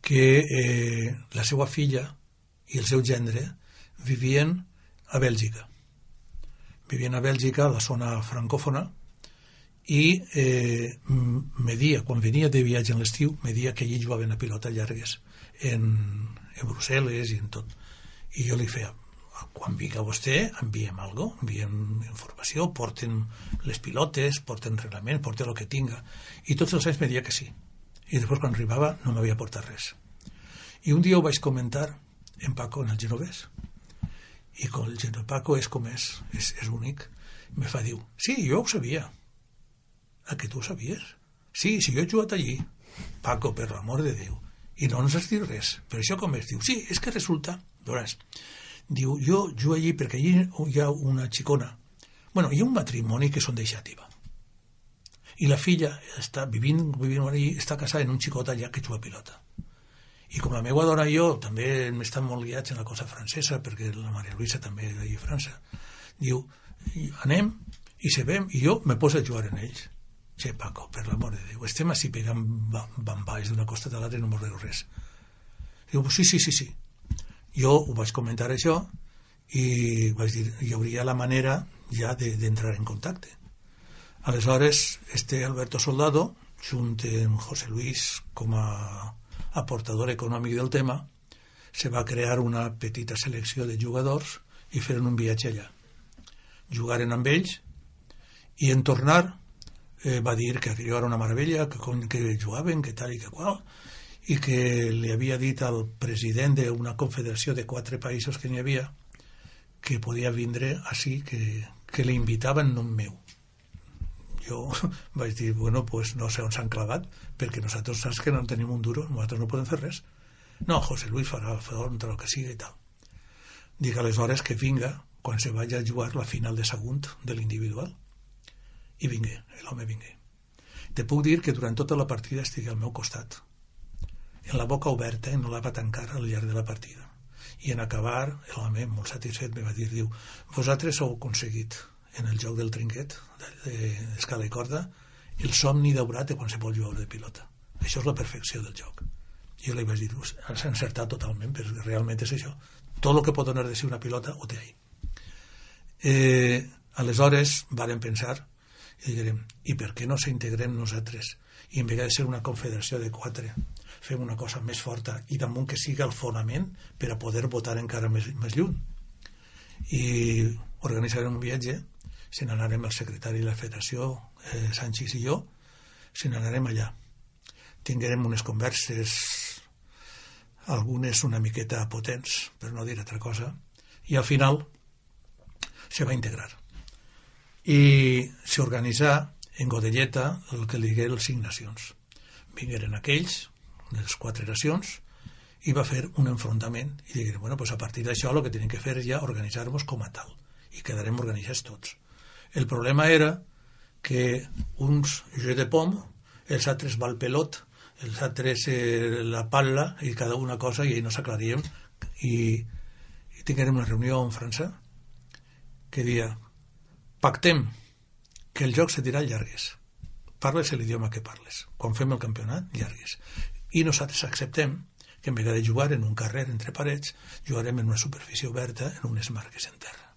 que eh, la seva filla i el seu gendre vivien a Bèlgica. Vivien a Bèlgica, a la zona francòfona, i eh, media, quan venia de viatge en l'estiu, media que allí jugaven a pilota llargues en, en Brussel·les i en tot. I jo li feia, quan vinga vostè, enviem alguna cosa, enviem informació, porten les pilotes, porten reglament, porten el que tinga. I tots els anys me deia que sí. I després, quan arribava, no m'havia portat res. I un dia ho vaig comentar en Paco, en el genovès. I com el genovès Paco és com és, és, és únic, me fa dir, sí, jo ho sabia. Ah, que tu ho sabies? Sí, si jo he jugat allí. Paco, per l'amor de Déu. I no ens has dit res. Per això com es diu? Sí, és que resulta, veuràs, diu, jo jugo allí perquè allí hi ha una xicona. Bueno, hi ha un matrimoni que són de Xàtiva. I la filla està vivint, vivint allí, està casada en un xicot allà que juga a pilota. I com la meva dona i jo també estan molt guiats en la cosa francesa, perquè la Maria Luisa també és allà a França, diu, anem i sabem, i jo me poso a jugar en ells. Che, Paco, per l'amor de Déu, estem així pegant bamballs d'una costa a l'altra i no m'ho rego res. Diu, sí, sí, sí, sí. Jo ho vaig comentar això i vaig dir, hi hauria la manera ja d'entrar en contacte. Aleshores, este Alberto Soldado, junt amb José Luis com a aportador econòmic del tema, se va crear una petita selecció de jugadors i feren un viatge allà. Jugaren amb ells i en tornar eh, va dir que allò era una meravella, que, que jugaven, que tal i que qual, i que li havia dit al president d'una confederació de quatre països que n'hi havia que podia vindre així, que, que li invitava en nom meu. Jo vaig dir, bueno, pues no sé on s'han clavat, perquè nosaltres saps que no tenim un duro, nosaltres no podem fer res. No, José Luis farà front a lo que sigui i tal. Dic aleshores que vinga quan se vagi a jugar la final de segon de l'individual. I vingué, l'home vingué. Te puc dir que durant tota la partida estigui al meu costat, en la boca oberta i no la va tancar al llarg de la partida. I en acabar, l'home, molt satisfet, me va dir, diu, vosaltres heu aconseguit en el joc del trinquet, d'escala i corda, el somni daurat de qualsevol jugador de pilota. Això és la perfecció del joc. I jo li vaig dir, has encertat totalment, perquè realment és això. Tot el que pot donar de si una pilota ho té ahí. Eh, aleshores, varen pensar, i direm, i per què no s'integrem nosaltres? I en vegades de ser una confederació de quatre, fem una cosa més forta i damunt que siga el fonament per a poder votar encara més, més lluny. I organitzarem un viatge, se n'anarem el secretari de la federació, eh, Sánchez i jo, se n'anarem allà. Tinguerem unes converses, algunes una miqueta potents, per no dir altra cosa, i al final se va integrar. I s'organitzà en Godelleta el que li digué les cinc nacions. Vingueren aquells, les quatre nacions, i va fer un enfrontament i digueren, bueno, pues a partir d'això el que tenim que fer és ja organitzar-nos com a tal i quedarem organitzats tots. El problema era que uns jeu de pom, els altres val pelot, els altres eh, la palla i cada una cosa i no s'aclaríem i, i tinguérem una reunió en França que dia pactem que el joc se dirà llargues, parles l'idioma que parles, quan fem el campionat llargues, i nosaltres acceptem que en vegada de jugar en un carrer entre parets, jugarem en una superfície oberta, en unes marques en terra.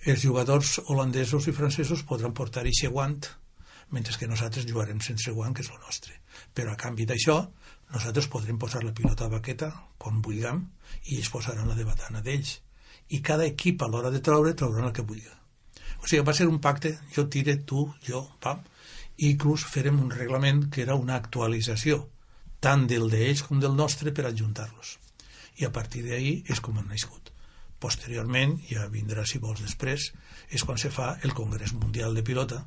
Els jugadors holandesos i francesos podran portar eixe guant, mentre que nosaltres jugarem sense guant, que és el nostre. Però a canvi d'això, nosaltres podrem posar la pilota a baqueta, com vulguem, i ells posaran la de batana d'ells. I cada equip, a l'hora de treure, trauran el que vulgui. O sigui, va ser un pacte, jo tire, tu, jo, pam, i inclús farem un reglament que era una actualització, tant del d'ells com del nostre, per adjuntar-los. I a partir d'ahir és com han nascut. Posteriorment, ja vindrà, si vols després, és quan se fa el Congrés Mundial de Pilota,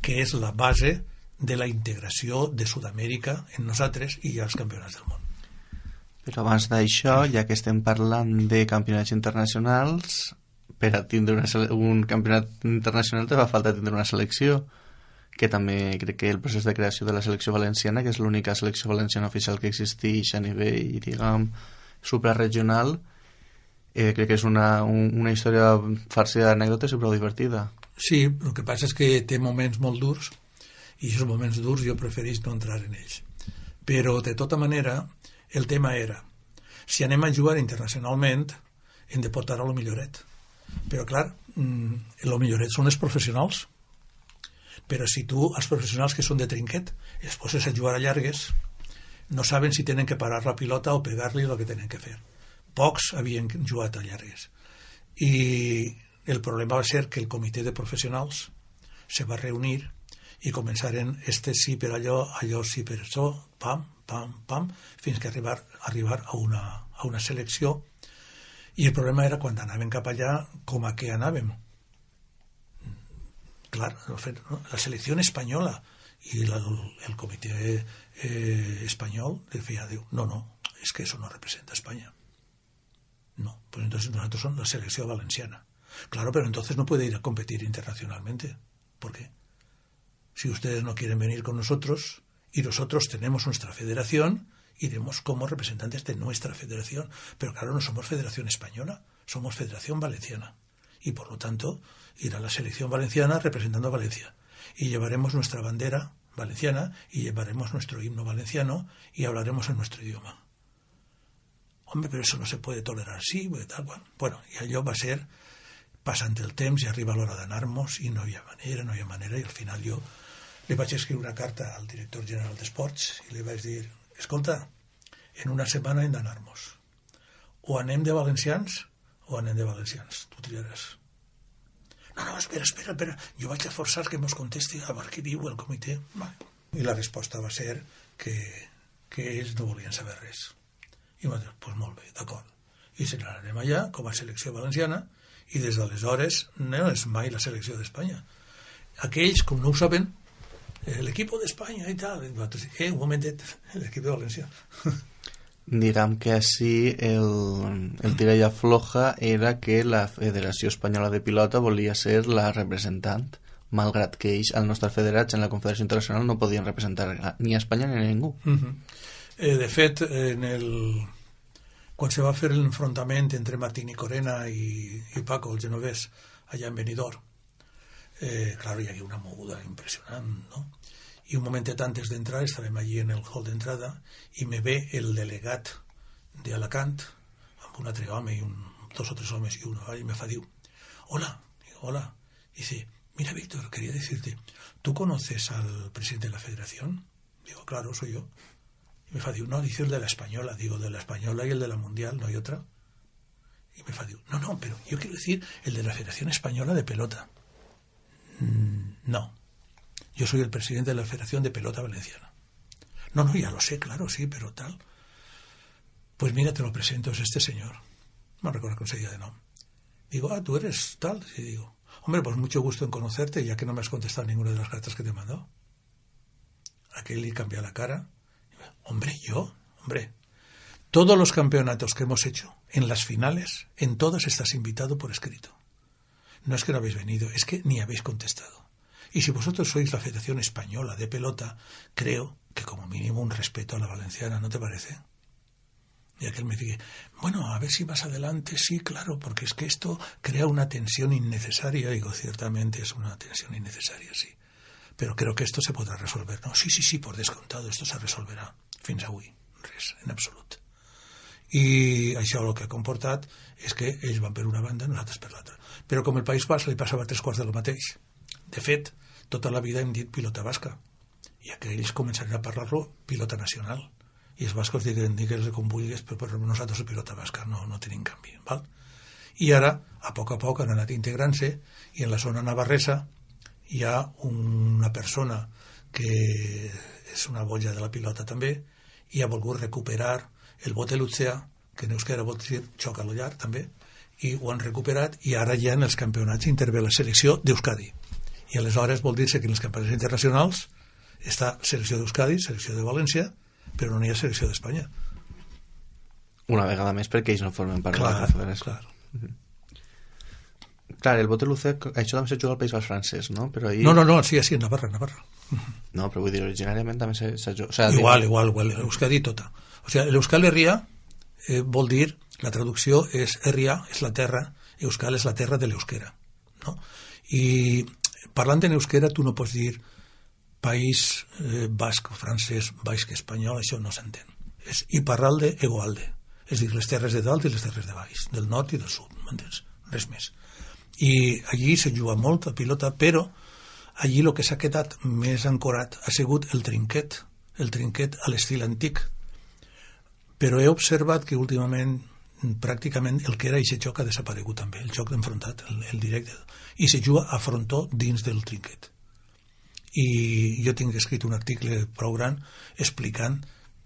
que és la base de la integració de Sud-amèrica en nosaltres i als campionats del món. Però abans d'això, ja que estem parlant de campionats internacionals, per a tindre una sele- un campionat internacional te fa falta tindre una selecció, que també crec que el procés de creació de la selecció valenciana, que és l'única selecció valenciana oficial que existeix a nivell, diguem, suprarregional, eh, crec que és una, un, una història farcida d'anècdotes i prou divertida. Sí, el que passa és que té moments molt durs, i aquests moments durs jo preferís no entrar en ells. Però, de tota manera, el tema era, si anem a jugar internacionalment, hem de portar a lo milloret. Però, clar, el milloret són els professionals. Però si tu, els professionals que són de trinquet, els poses a jugar a llargues, no saben si tenen que parar la pilota o pegar-li el que tenen que fer. Pocs havien jugat a llargues. I el problema va ser que el comitè de professionals se va reunir i començaren este sí per allò, allò sí per això, pam, pam, pam, fins que arribar, arribar a, una, a una selecció. I el problema era quan anàvem cap allà, com a què anàvem. Clar, la selecció espanyola i la, el comitè eh, espanyol decía, diu, no, no, es que eso no representa a España. No, pues entonces nosotros somos la selección valenciana. Claro, pero entonces no puede ir a competir internacionalmente. ¿Por qué? Si ustedes no quieren venir con nosotros y nosotros tenemos nuestra federación, iremos como representantes de nuestra federación. Pero claro, no somos Federación Española, somos Federación Valenciana. Y por lo tanto, irá la selección valenciana representando a Valencia. Y llevaremos nuestra bandera valenciana y llevaremos nuestro himno valenciano y hablaremos en nuestro idioma. Hombre, però això no se puede tolerar, sí, tal qual. Bueno, i allò va ser passant el temps i arriba l'hora d'anar-nos i no hi ha manera, no hi ha manera, i al final jo li vaig escriure una carta al director general d'Esports i li vaig dir, escolta, en una setmana hem d'anar-nos. O anem de valencians o anem de valencians, tu triaràs. No, no, espera, espera, espera, jo vaig a forçar que mos contesti a veure què diu el comitè. I la resposta va ser que, que ells no volien saber res. I va dir, doncs molt bé, d'acord. I se n'anem allà com a selecció valenciana i des d'aleshores no és mai la selecció d'Espanya. Aquells, com no ho saben, eh, l'equip d'Espanya i tal, i nosaltres, eh, un momentet, l'equip de València. Diguem que així el, el tira i afloja era que la Federació Espanyola de Pilota volia ser la representant, malgrat que ells, al nostre federats en la Confederació Internacional, no podien representar ni a Espanya ni a ningú. Uh-huh. Eh, de fet, en el... quan se va fer l'enfrontament entre Martín i Corena i, i Paco, el genovès, allà en Benidorm, eh, clar, hi havia una moguda impressionant, no? I un momentet antes d'entrar, estàvem allí en el hall d'entrada, i me ve el delegat d'Alacant, amb un altre home, i un, dos o tres homes, i uno, i me fa, diu, hola, digo, hola, y dice, mira, Víctor, quería decirte, ¿tú conoces al presidente de la federación? Digo, claro, soy yo. Y me fa, diu, no, dice el de la española. Digo, de la española y el de la mundial, ¿no hay otra? Y me fa, diu, no, no, pero yo quiero decir el de la Federación Española de Pelota. Mm, no, yo soy el presidente de la Federación de Pelota Valenciana. No, no, ya lo sé, claro, sí, pero tal. Pues mira, te lo presento, es este señor. No recuerdo cómo se llama de nombre. Digo, ah, tú eres tal. Y digo, hombre, pues mucho gusto en conocerte, ya que no me has contestado ninguna de las cartas que te he mandado. Aquel le cambia la cara. Hombre, yo, hombre, todos los campeonatos que hemos hecho, en las finales, en todas estás invitado por escrito. No es que no habéis venido, es que ni habéis contestado. Y si vosotros sois la Federación Española de Pelota, creo que como mínimo un respeto a la valenciana, ¿no te parece? Y aquel me dice, bueno, a ver si más adelante, sí, claro, porque es que esto crea una tensión innecesaria. Digo, ciertamente es una tensión innecesaria, sí. Pero creo que esto se podrá resolver. No, sí, sí, sí, por descontado, esto se resolverá. Fins avui, res, en absolut. I això el que ha comportat és que ells van per una banda i nosaltres per l'altra. Però com el País Basc li passava tres quarts del mateix. De fet, tota la vida hem dit pilota basca, i aquells començaran a parlar-lo pilota nacional. I els bascos diguen, digues com vulguis, però per nosaltres la pilota basca no, no tenim canvi. Val? I ara, a poc a poc, han anat integrant-se, i en la zona navarresa hi ha una persona que és una boja de la pilota també, i ha volgut recuperar el bote lutzea, que en euskera vol dir xoc a lo llarg també, i ho han recuperat, i ara ja en els campionats intervé la selecció d'Euskadi. I aleshores vol dir-se que en els campionats internacionals està selecció d'Euskadi, selecció de València, però no hi ha selecció d'Espanya. Una vegada més perquè ells no formen part clar, de la federació. Clar, mm-hmm. Clar, el bote lucé, això també se juga al País Basc francès, no? Però ahir... No, no, no, sí, sí, en Navarra, Navarra. No, però vull dir, originàriament també se, se juga... O sea, igual, dic... igual, igual, l'Euskadi tota. O sigui, l'Euskal Herria eh, vol dir, la traducció és Herria, és la terra, Euskal és la terra de l'euskera, no? I parlant en euskera tu no pots dir país eh, basc, francès, basc, espanyol, això no s'entén. És Iparralde, Egoalde. És dir, les terres de dalt i les terres de baix, del nord i del sud, m'entens? Res més. I allí se juga molt a pilota, però allí el que s'ha quedat més ancorat ha sigut el trinquet, el trinquet a l'estil antic. Però he observat que últimament pràcticament el que era aquest joc ha desaparegut també, el joc d'enfrontat, el, el directe, i se juga a frontó dins del trinquet. I jo tinc escrit un article prou gran explicant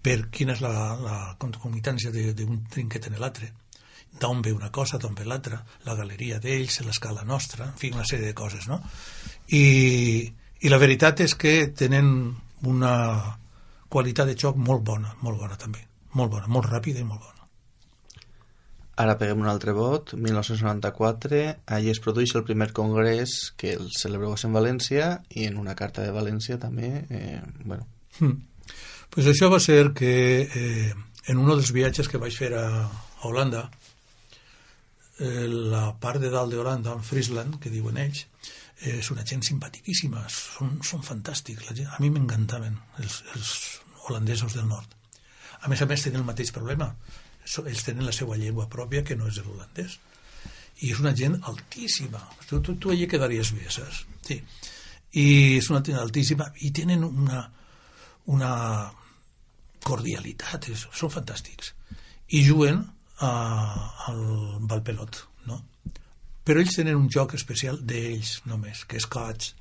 per quina és la, la concomitància d'un trinquet en l'altre, d'on ve una cosa, d'on ve l'altra, la galeria d'ells, l'escala nostra, en fi, una sèrie de coses, no? I, i la veritat és que tenen una qualitat de joc molt bona, molt bona també, molt bona, molt ràpida i molt bona. Ara peguem un altre vot, mil nou-cents noranta-quatre, allí es produeix el primer congrés que el celebreu en València i en una carta de València també, eh, bueno. Hmm. Pues això va ser que eh, en un dels viatges que vaig fer a, a Holanda, eh, la part de dalt de Holanda, en Friesland, que diuen ells, eh, és una gent simpaticíssima, són, són fantàstics, la gent, a mi m'encantaven els, els holandesos del nord. A més a més tenen el mateix problema, ells tenen la seva llengua pròpia que no és l'holandès, i és una gent altíssima, tu, tu, tu allà quedaries bé, saps? Sí. I és una gent altíssima i tenen una, una cordialitat, és, són fantàstics, i juguen a, al Valpelot, no? Però ells tenen un joc especial d'ells només, que és catch,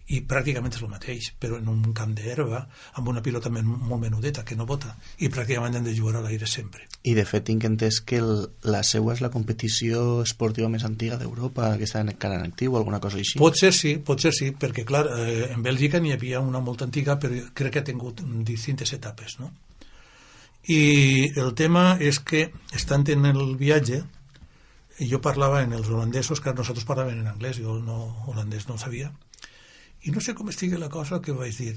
i pràcticament és el mateix, però en un camp d'herba, amb una pilota men molt menudeta, que no bota, i pràcticament han de jugar a l'aire sempre. I de fet tinc entès que el, la seua és la competició esportiva més antiga d'Europa, que està encara en actiu, alguna cosa així? Pot ser sí, pot ser sí, perquè clar, eh, en Bèlgica n'hi havia una molt antiga, però crec que ha tingut distintes etapes, no? I el tema és que, estant en el viatge, jo parlava en els holandesos, que nosaltres parlaven en anglès, jo no, holandès no sabia, i no sé com estigui la cosa que vaig dir.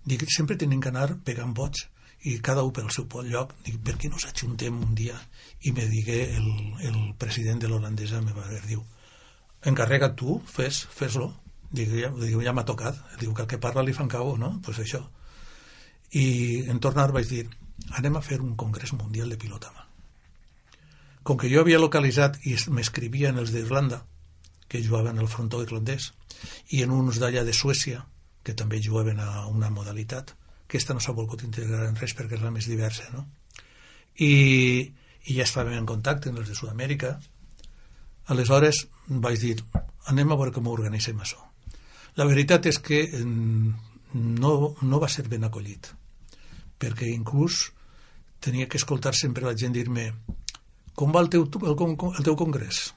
Dic, sempre tenim que anar pegant vots i cada un pel seu lloc. Dic, per què no s'ajuntem un dia? I me digué el, el president de l'holandesa, me va dir, diu, encarrega tu, fes, fes-lo. Dic, ja, ja m'ha tocat. Diu que el que parla li fan cabo, no? Doncs pues això. I en tornar vaig dir, anem a fer un congrés mundial de pilota mà. Com que jo havia localitzat i m'escrivien els d'Irlanda, que jugaven al frontó irlandès, i en uns d'allà de Suècia, que també jugaven a una modalitat, que aquesta no s'ha volgut integrar en res perquè és la més diversa, no? I, i ja estàvem en contacte amb els de Sud-amèrica. Aleshores vaig dir, anem a veure com ho organitzem això. La veritat és que no, no va ser ben acollit, perquè inclús tenia que escoltar sempre la gent dir-me, com va el teu, el, el teu congrés?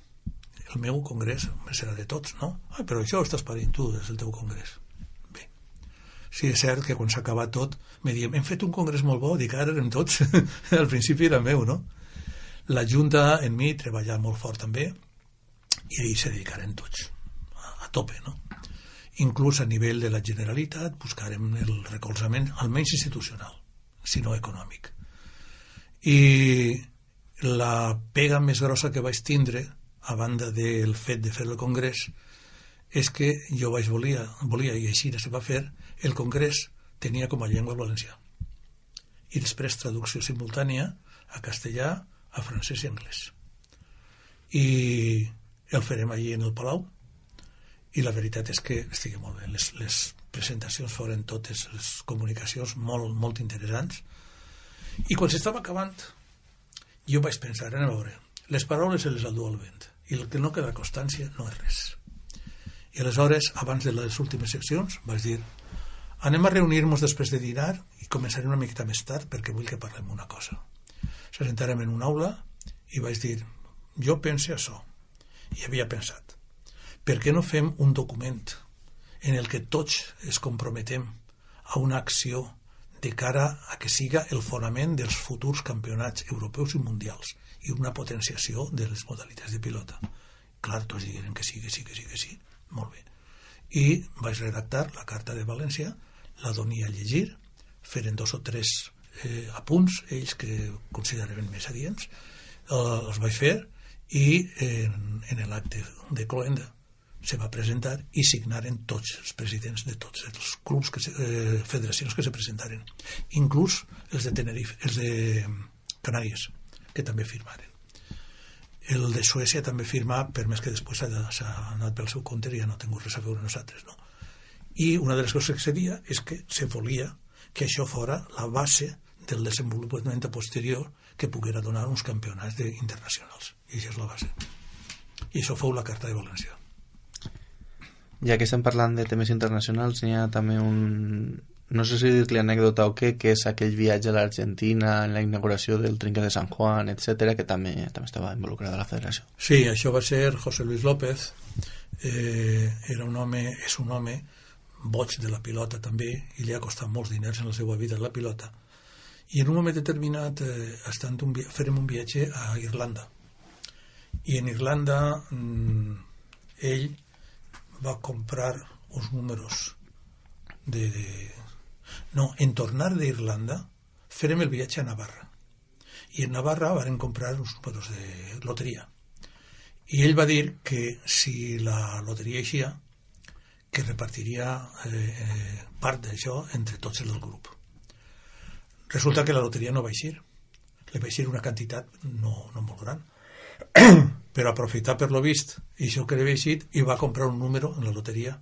El meu congrés serà de tots, no? Ai, però això ho estàs parint tu, és el teu congrés. Bé, sí, és cert que quan s'acaba tot me diem, hem fet un congrés molt bo, dic, ara eren tots, al principi era meu, no? La Junta en mi treballa molt fort també i ells se dedicaren tots a, a tope, no? Inclús a nivell de la Generalitat buscarem el recolzament almenys institucional, si no econòmic. I la pega més grossa que vaig tindre a banda del fet de fer el congrés, és que jo vaig volia, volia i així se va fer, el congrés tenia com a llengua el valencià. I després traducció simultània a castellà, a francès i anglès. I el farem allí en el Palau, i la veritat és que estigui molt bé. Les, les presentacions foren totes, les comunicacions molt, molt interessants. I quan s'estava acabant, jo vaig pensar, a veure, les paraules se les endú el vent, i el que no queda constància no és res. I aleshores, abans de les últimes seccions, vaig dir, anem a reunir-nos després de dinar i començarem una miqueta més tard perquè vull que parlem una cosa. S'assentarem en una aula i vaig dir, jo pense això. I havia pensat, per què no fem un document en el que tots es comprometem a una acció de cara a que siga el fonament dels futurs campionats europeus i mundials i una potenciació de les modalitats de pilota? Clar, tots digueren que sí, que sí, que sí, que sí. Molt bé. I vaig redactar la carta de València, la donia a llegir, feren dos o tres eh, apunts, ells que consideraven més adients, eh, els vaig fer, i en, en l'acte de Cloenda se va presentar i signaren tots els presidents de tots els clubs, que se, eh, federacions que se presentaren, inclús els de Tenerife, els de Canàries, que també firmaren. El de Suècia també firma, per més que després s'ha anat pel seu compte i ja no ha tingut res a veure nosaltres, no? I una de les coses que se dia és que se volia que això fora la base del desenvolupament posterior que poguera donar uns campionats internacionals. I això és la base. I això fou la Carta de València. Ja que estem parlant de temes internacionals, hi ha també un... no sé si dir-li anècdota o què, que és aquell viatge a l'Argentina en la inauguració del trinquet de San Juan, etcètera, que també també estava involucrada a la federació. Sí, això va ser José Luis López, eh, era un home, és un home boig de la pilota també, i li ha costat molts diners en la seva vida la pilota. I en un moment determinat eh, estant un via... farem un viatge a Irlanda. I en Irlanda mmm, ell va comprar uns números de... de... No, en tornar d'Irlanda farem el viatge a Navarra. I en Navarra van comprar uns números de loteria. I ell va dir que si la loteria eixia, que repartiria eh, part d'això entre tots els del grup. Resulta que la loteria no va eixir. Li va eixir una quantitat no, no molt gran. Però aprofitar per lo vist i això que li va eixit, i va comprar un número en la loteria,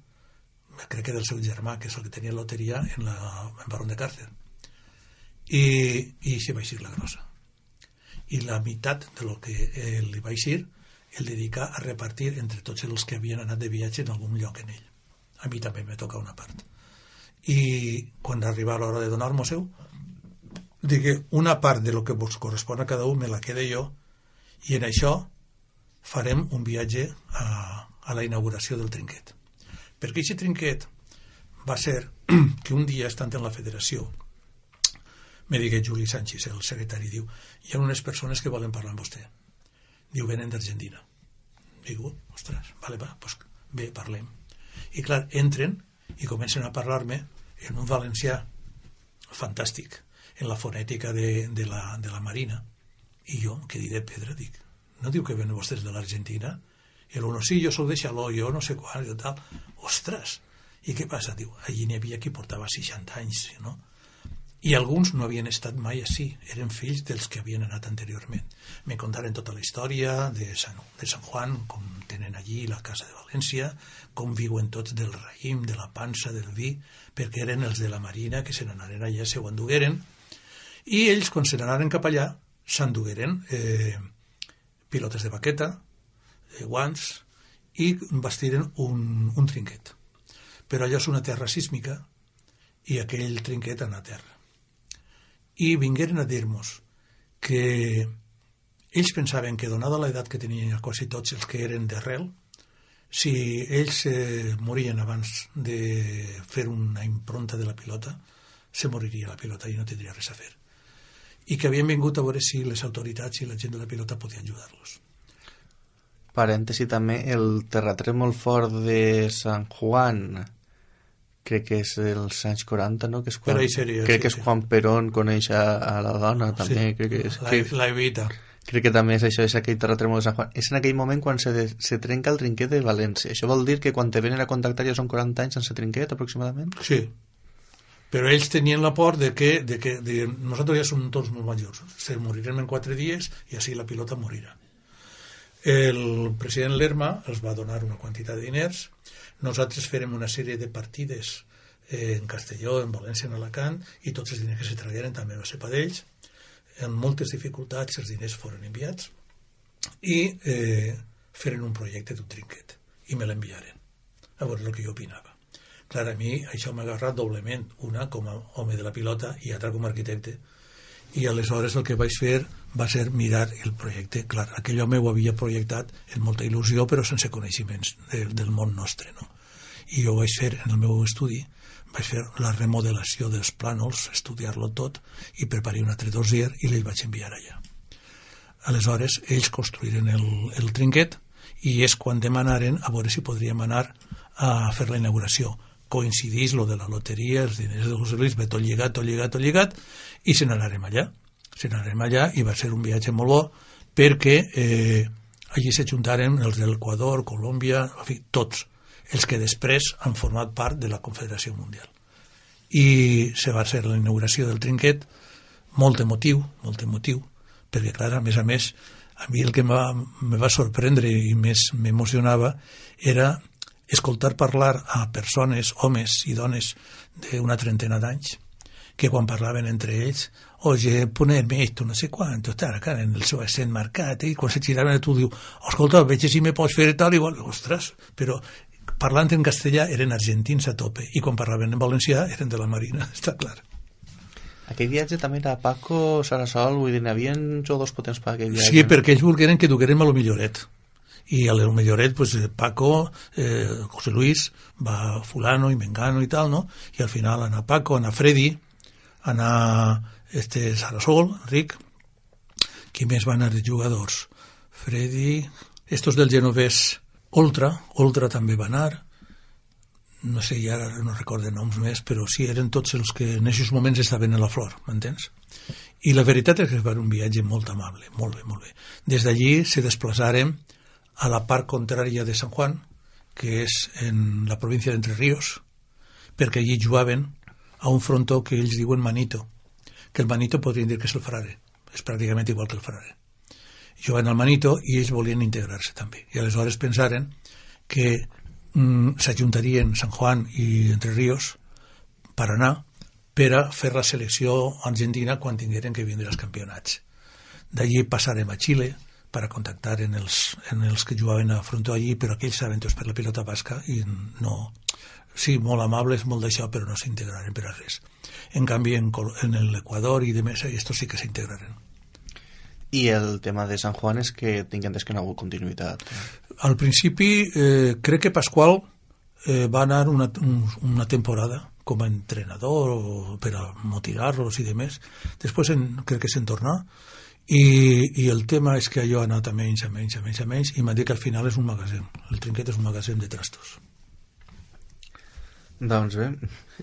crec que del seu germà, que és el que tenia loteria en, la, en Barón de Càrcer. I, i se va eixir la grossa. I la meitat de lo que eh, li va eixir el dedica a repartir entre tots els que havien anat de viatge en algun lloc en ell. A mi també me toca una part. I quan arriba l'hora de donar-m'ho-seu, digui, una part de lo que vos correspon a cada un me la quede jo, i en això farem un viatge a, a la inauguració del trinquet. Perquè aquest trinquet va ser que un dia, estant en la federació, me digui Juli Sánchez, el secretari, diu, hi ha unes persones que volen parlar amb vostè. Diu, venen d'Argentina. Diu, ostres, vale, va, pues bé, parlem. I clar, entren i comencen a parlar-me en un valencià fantàstic, en la fonètica de, de, la, de la Marina. I jo, que diré pedra, dic, no diu que venen vostès de l'Argentina? I el uno, sí, jo soc de Xaló, jo no sé quan, i tal. Ostres! I què passa? Diu, allí n'hi havia qui portava seixanta anys, no? I alguns no havien estat mai així, eren fills dels que havien anat anteriorment. Me contaren tota la història de San, de San Juan, com tenen allí la casa de València, com viuen tots del raïm, de la pansa, del vi, perquè eren els de la Marina que se n'anaren allà, se ho endugueren, i ells, quan se n'anaren cap allà, s'endugueren eh, pilotes de baqueta, eh, guants, i bastiren un, un trinquet. Però allò és una terra sísmica, i aquell trinquet anà a terra. I vingueren a dir-nos que ells pensaven que, donada l'edat que tenien quasi tots els que eren d'arrel, si ells eh, morien abans de fer una impronta de la pilota, se moriria la pilota i no tindria res a fer. I que havien vingut a veure si les autoritats i la gent de la pilota podien ajudar-los. Parèntesi també, el terratrèmol fort de San Juan, crec que és els anys quaranta, no? Que és quan, seria, crec sí, que és sí. Juan Perón coneix a, a la dona, també. Sí, crec que és, la, crec, la Evita. Crec que també és això, és aquell terratrèmol de Sant Juan. És en aquell moment quan se, de, se trenca el trinquet de València. Això vol dir que quan te venen a contactar ja són quaranta anys sense trinquet, aproximadament? Sí, Però ells tenien la por de que, de que de, nosaltres ja som tots molt majors, se morirem en quatre dies i així la pilota morirà. El president Lerma els va donar una quantitat de diners, nosaltres farem una sèrie de partides eh, en Castelló, en València, en Alacant, i tots els diners que se tragueren també va ser per ells. Amb moltes dificultats els diners foren enviats i eh, feren un projecte d'un trinquet i me l'enviaren a veure el que jo opinava. Clar, a mi això m'ha agarrat doblement, una com a home de la pilota i altra com a arquitecte, i aleshores el que vaig fer va ser mirar el projecte. Clar, aquell home ho havia projectat amb molta il·lusió però sense coneixements de, del món nostre, no? I jo vaig fer en el meu estudi vaig fer la remodelació dels plànols, estudiar-lo tot i preparar un altre dossier i l'ell vaig enviar allà. Aleshores ells construïren el, el trinquet i és quan demanaren a veure si podríem anar a fer la inauguració. Coincidís lo de la loteria, els diners de José Luis, ve tot lligat, tot lligat, tot lligat, i se n'anarem allà. Se n'anarem allà i va ser un viatge molt bo perquè eh, allí s'ajuntaren els de l'Equador, Colòmbia, en fi, tots els que després han format part de la Confederació Mundial. I se va fer la inauguració del trinquet, molt emotiu, molt emotiu, perquè, clar, a més a més, a mi el que me va, me va sorprendre i més m'emocionava era escoltar parlar a persones, homes i dones d'una trentena d'anys, que quan parlaven entre ells, oye, ponerme esto, no sé quanto, estar acá en el seu accent marcat, i quan se giraven tu diu, escolta, veig si me pots fer tal, igual, ostres, però parlant en castellà eren argentins a tope i quan parlaven en valencià eren de la Marina, està clar. Aquell viatge també era Paco, Sarasol, vull dir, n'hi havia jugadors potents per aquell viatge. Sí, perquè ells volgueren que duguérem a lo milloret. I a lo milloret, pues, Paco, eh, José Luis, va fulano i mengano i tal, no? I al final anar Paco, anar Freddy, anar este Sarasol, Enric. Qui més van anar de jugadors? Freddy, estos del genovès Oltra, Oltra també va anar, no sé, ja no recordo noms més, però sí, eren tots els que en aquests moments estaven a la flor, m'entens? I la veritat és que va ser un viatge molt amable, molt bé, molt bé. Des d'allí se desplaçarem a la part contrària de San Juan, que és en la província d'Entre Ríos, perquè allí jugaven a un frontó que ells diuen Manito, que el Manito podrien dir que és el Frare, és pràcticament igual que el Frare. Jugant al Manito i ells volien integrar-se també. I aleshores pensaren que mm, s'ajuntarien San Juan i Entre Ríos per anar per a fer la selecció argentina quan tingueren que vindre als campionats. D'allí passarem a Xile per a contactar en els, en els que jugaven a frontó allí, però aquells saben tots per la pilota basca i no... Sí, molt amables, molt d'això, però no s'integraren per a res. En canvi, en, en l'Equador i de més, estos sí que s'integraren. I el tema de San Juan és que tinc entès que no ha hagut continuïtat. Al principi, eh, crec que Pasqual eh, va anar una, un, una temporada com a entrenador o per a motivar-los i demés. Després en, crec que se'n tornà i, i el tema és que allò ha anat a menys, a menys, a menys, a menys i m'ha dit que al final és un magatzem. El trinquet és un magatzem de trastos. Doncs bé,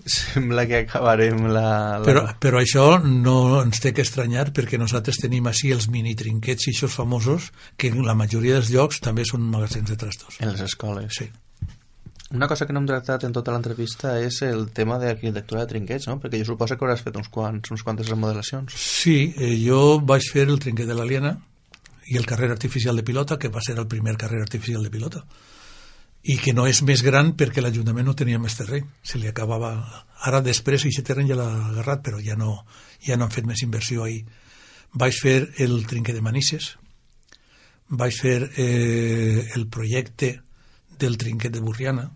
sembla que acabarem la... la... Però, però això no ens té que estranyar perquè nosaltres tenim així els mini trinquets i aquests famosos que en la majoria dels llocs també són magatzems de trastos. En les escoles. Sí. Una cosa que no hem tractat en tota l'entrevista és el tema d'arquitectura de trinquets, no? Perquè jo suposo que hauràs fet uns quants, uns quantes remodelacions. Sí, eh, jo vaig fer el trinquet de l'Aliena i el carrer artificial de pilota, que va ser el primer carrer artificial de pilota. I que no és més gran perquè l'Ajuntament no tenia més terreny, se li acabava ara després aquest terreny ja l'ha agarrat però ja no, ja no han fet més inversió ahir. Vaig fer el trinquet de Manises, vaig fer eh, el projecte del trinquet de Burriana,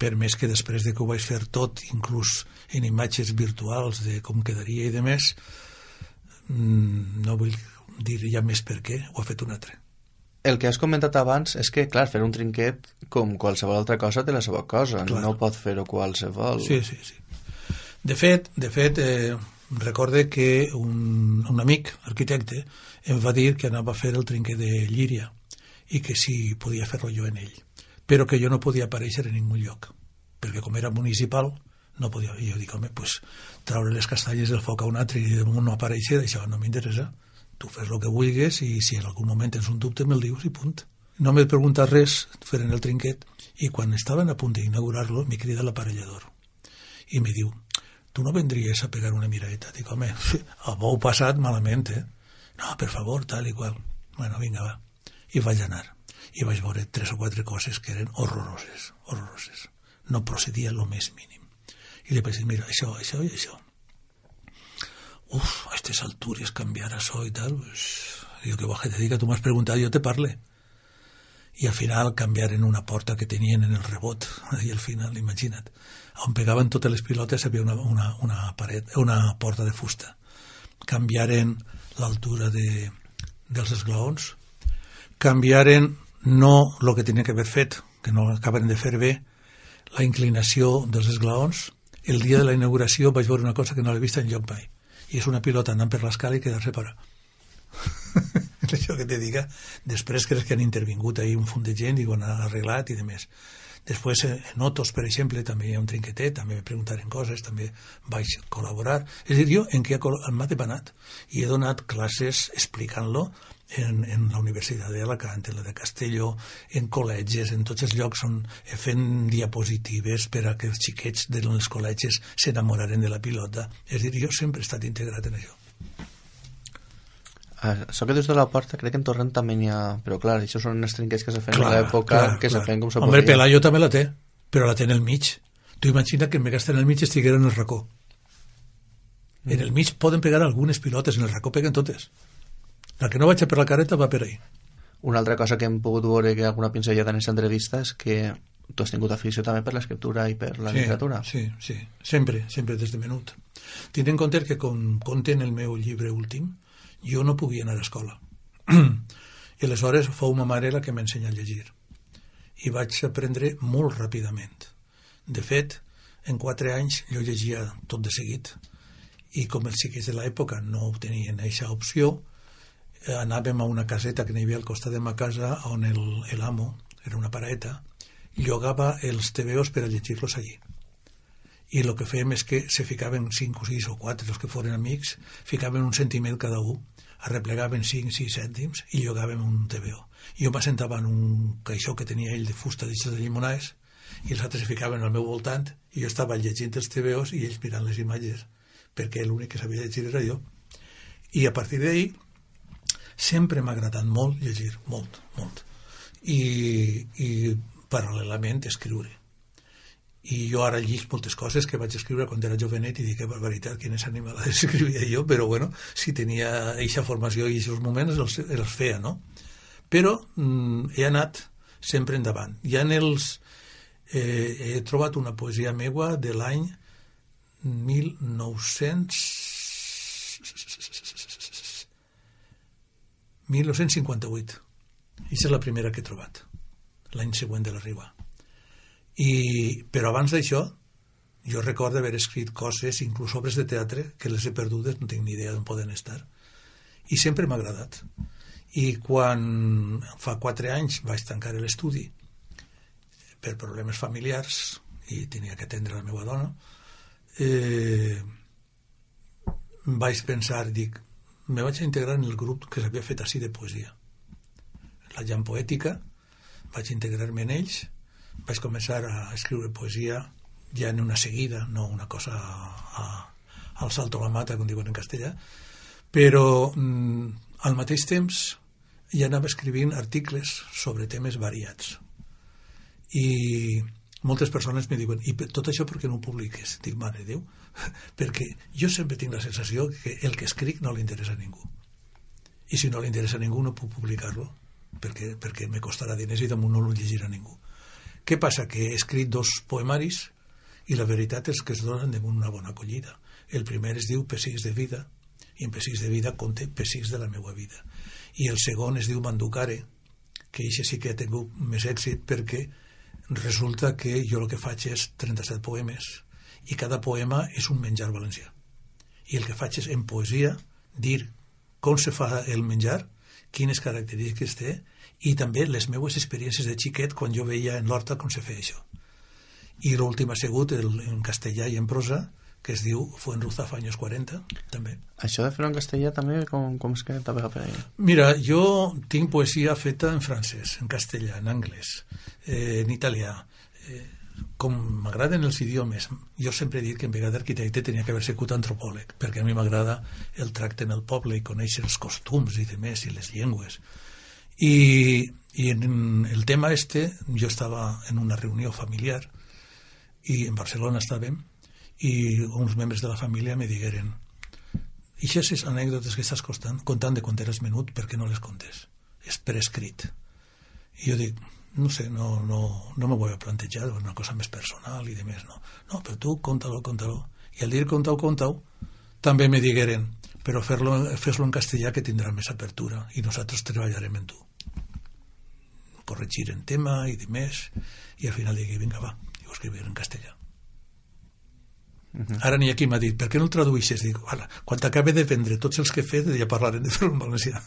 per més que després de que ho vaig fer tot, inclús en imatges virtuals de com quedaria i de més, no vull dir ja més per què, ho ha fet un altre. El que has comentat abans és que, clar, fer un trinquet com qualsevol altra cosa té la seva cosa, clar. No pot fer-ho qualsevol. Sí, sí, sí. De fet, de fet eh, recorde que un, un amic, arquitecte, em va dir que anava a fer el trinquet de Llíria i que si podia fer-lo jo en ell, però que jo no podia aparèixer en ningú lloc, perquè com era municipal no podia. I jo dic, home, pues, traure les castanyes del foc a un altre i de moment no aparèixer, això no m'interessa. Tu fes el que vulguis i si en algun moment tens un dubte me'l dius i punt. No m'he preguntat res fent el trinquet i quan estaven a punt d'inaugurar-lo m'hi crida l'aparellador i me diu, tu no vendries a pegar una miradeta? Dic, home, m'ho heu passat malament, eh? No, per favor, tal i qual. Bueno, vinga, va. I vaig anar. I vaig veure tres o quatre coses que eren horroroses, horroroses. No procedia lo més mínim. I li vaig dir, mira, això, això i això. Uf, a aquestes altures canviar això i tal, pues, digo, que baje te diga, tu m'has preguntat, jo te parle. I al final canviaren una porta que tenien en el rebot, i al final, imagina't, on pegaven totes les pilotes havia una, una, una, paret, una porta de fusta. Canviaren l'altura de, dels esglaons, canviaren no el que tenien que haver fet, que no acaben de fer bé, la inclinació dels esglaons. El dia de la inauguració vaig veure una cosa que no l'he vist enlloc mai, i és una pilota anant per l'escala i quedar-se parar. Això que te diga, després crec que han intervingut ahí un font de gent i ho han arreglat i demés. Després, en Otos, per exemple, també hi ha un trinquetet, també me preguntaren coses, també vaig col·laborar. És a dir, jo en què m'ha depanat i he donat classes explicant-lo en, en la Universitat d'Alacant, en la de Castelló, en col·legis, en tots els llocs on fent diapositives per a que els xiquets dels col·legis s'enamoraren de la pilota. És a dir, jo sempre he estat integrat en això. Això que dius de la porta, crec que en Torrent també n'hi ha... Però clar, això són els trinquets que se feien a l'època, que clar. Se feien com se Hombre, podia. Pelayo també la té, però la té en el mig. Tu imagina que en vez d'estar en el mig estiguera en el racó. Mm. En el mig poden pegar algunes pilotes, en el racó peguen totes. La que no vaig per la careta va per ahí. Una altra cosa que hem pogut veure, que alguna pinzellada en aquesta entrevista, és que tu has tingut afició també per l'escriptura i per la sí, literatura. Sí, sí, sempre, sempre des de menut. Tinc en compte que com conte en el meu llibre últim, jo no podia anar a escola. I aleshores fou ma mare la que m'ensenya a llegir. I vaig aprendre molt ràpidament. De fet, en quatre anys jo llegia tot de seguit. I com els xiquets de l'època no tenien aquesta opció, anàvem a una caseta que n'hi havia al costat de ma casa on el, el amo, era una paraeta, llogava els tebeos per a llegir-los allí. I el que fèiem és que se ficaven cinc o sis o quatre, els que foren amics, ficaven un centímet cada un, arreplegaven cinc o sis cèntims i llogàvem un T V O. Jo m'assentava en un caixó que tenia ell de fusta d'eixes de llimonades i els altres se ficaven al meu voltant i jo estava llegint els T V Os i ells mirant les imatges, perquè l'únic que sabia llegir era jo. I a partir d'ahí sempre m'ha agradat molt llegir, molt, molt. I, i paral·lelament escriure. I jo ara llig moltes coses que vaig escriure quan era jovenet i dic, que barbaritat, quines animalades escrivia jo, però bueno, si tenia eixa formació i aquests moments els, els feia, no? Però mm, he anat sempre endavant. Ja en els... Eh, he trobat una poesia meua de l'any mil nou-cents... mil nou-cents cinquanta-vuit. Aquesta és la primera que he trobat, l'any següent de la Riba. I, però abans d'això jo recordo haver escrit coses, inclús obres de teatre que les he perdudes, no tinc ni idea d'on poden estar, i sempre m'ha agradat. I quan fa quatre anys vaig tancar l'estudi per problemes familiars i tenia que atendre la meva dona, eh, vaig pensar, dic, me vaig integrar en el grup que s'havia fet així de poesia, la Llam Poètica, vaig integrar-me en ells, vaig començar a escriure poesia ja en una seguida, no una cosa a, al salto a la mata, com diuen en castellà, però mm, al mateix temps ja anava escrivint articles sobre temes variats. I moltes persones me diuen, i tot això per què no ho publiques? Dic, mare de Déu, perquè jo sempre tinc la sensació que el que escric no li interessa a ningú. I si no li interessa a ningú no puc publicar-lo, perquè, perquè me costarà diners i damunt no lo llegirà ningú. Què passa? Que he escrit dos poemaris i la veritat és que es donen damunt una bona acollida. El primer es diu Pessics de vida i en Pessics de vida conté pessics de la meva vida. I el segon es diu Manducare, que això sí que ha tingut més èxit perquè resulta que jo el que faig és trenta-set poemes i cada poema és un menjar valencià. I el que faig és en poesia dir com se fa el menjar, quines característiques té i també les meues experiències de xiquet quan jo veia en l'horta com se feia això. I l'últim ha sigut el, en castellà i en prosa, que es diu Fuenruzafa años quaranta, també. Això de fer-ho en castellà també, com, com és que t'ha pegat per ahí? Mira, jo tinc poesia feta en francès, en castellà, en anglès, eh, en italià, eh, com m'agraden els idiomes, jo sempre he dit que en vegada d'arquitecte tenia que haver sigut antropòleg, perquè a mi m'agrada el tracte en el poble i conèixer els costums i demés, i les llengües. I, i en el tema este, jo estava en una reunió familiar, i en Barcelona estàvem, i uns membres de la família me digueren: i aquestes anècdotes que estàs contant, contant de quan eres menut, per què no les contes? És per escrit. I jo dic, no sé, no, no, no me voy a plantejar una cosa més personal i demés, no. No, però tu conta-lo, conta-lo. I al dir conta-ho, conta-ho, també me digueren, però fer-lo, fes-lo en castellà que tindrà més apertura i nosaltres treballarem en tu. Corregir en tema i demés, i al final digui, vinga, va, i ho escrivir en castellà. Uh-huh. Ara n'hi ha qui m'ha dit, per què no el traduïxes? Dic, quan t'acabe de vendre tots els que he fet, ja parlarem de fer-ho en valencià.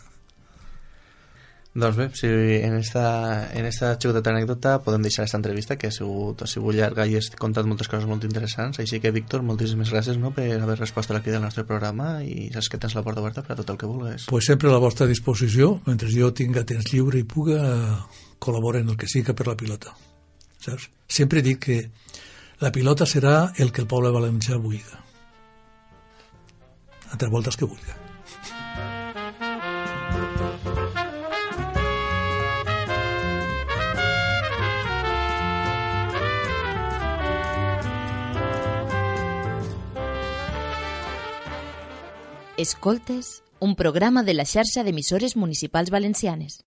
Doncs bé, si en esta, en esta xicoteta anècdota podem deixar aquesta entrevista, que ha sigut, ha sigut llarga i has contat moltes coses molt interessants, així que, Víctor, moltíssimes gràcies, no?, per haver respost a la crida del nostre programa, i saps que tens la porta oberta per a tot el que vulguis. Pues sempre a la vostra disposició, mentre jo tinga temps lliure i puga col·laborar en el que siga per la pilota, saps? Sempre dic que la pilota serà el que el poble valencià vulgui, altres voltes que vulgui. Escoltes, un programa de la xarxa d'emissores municipals valencianes.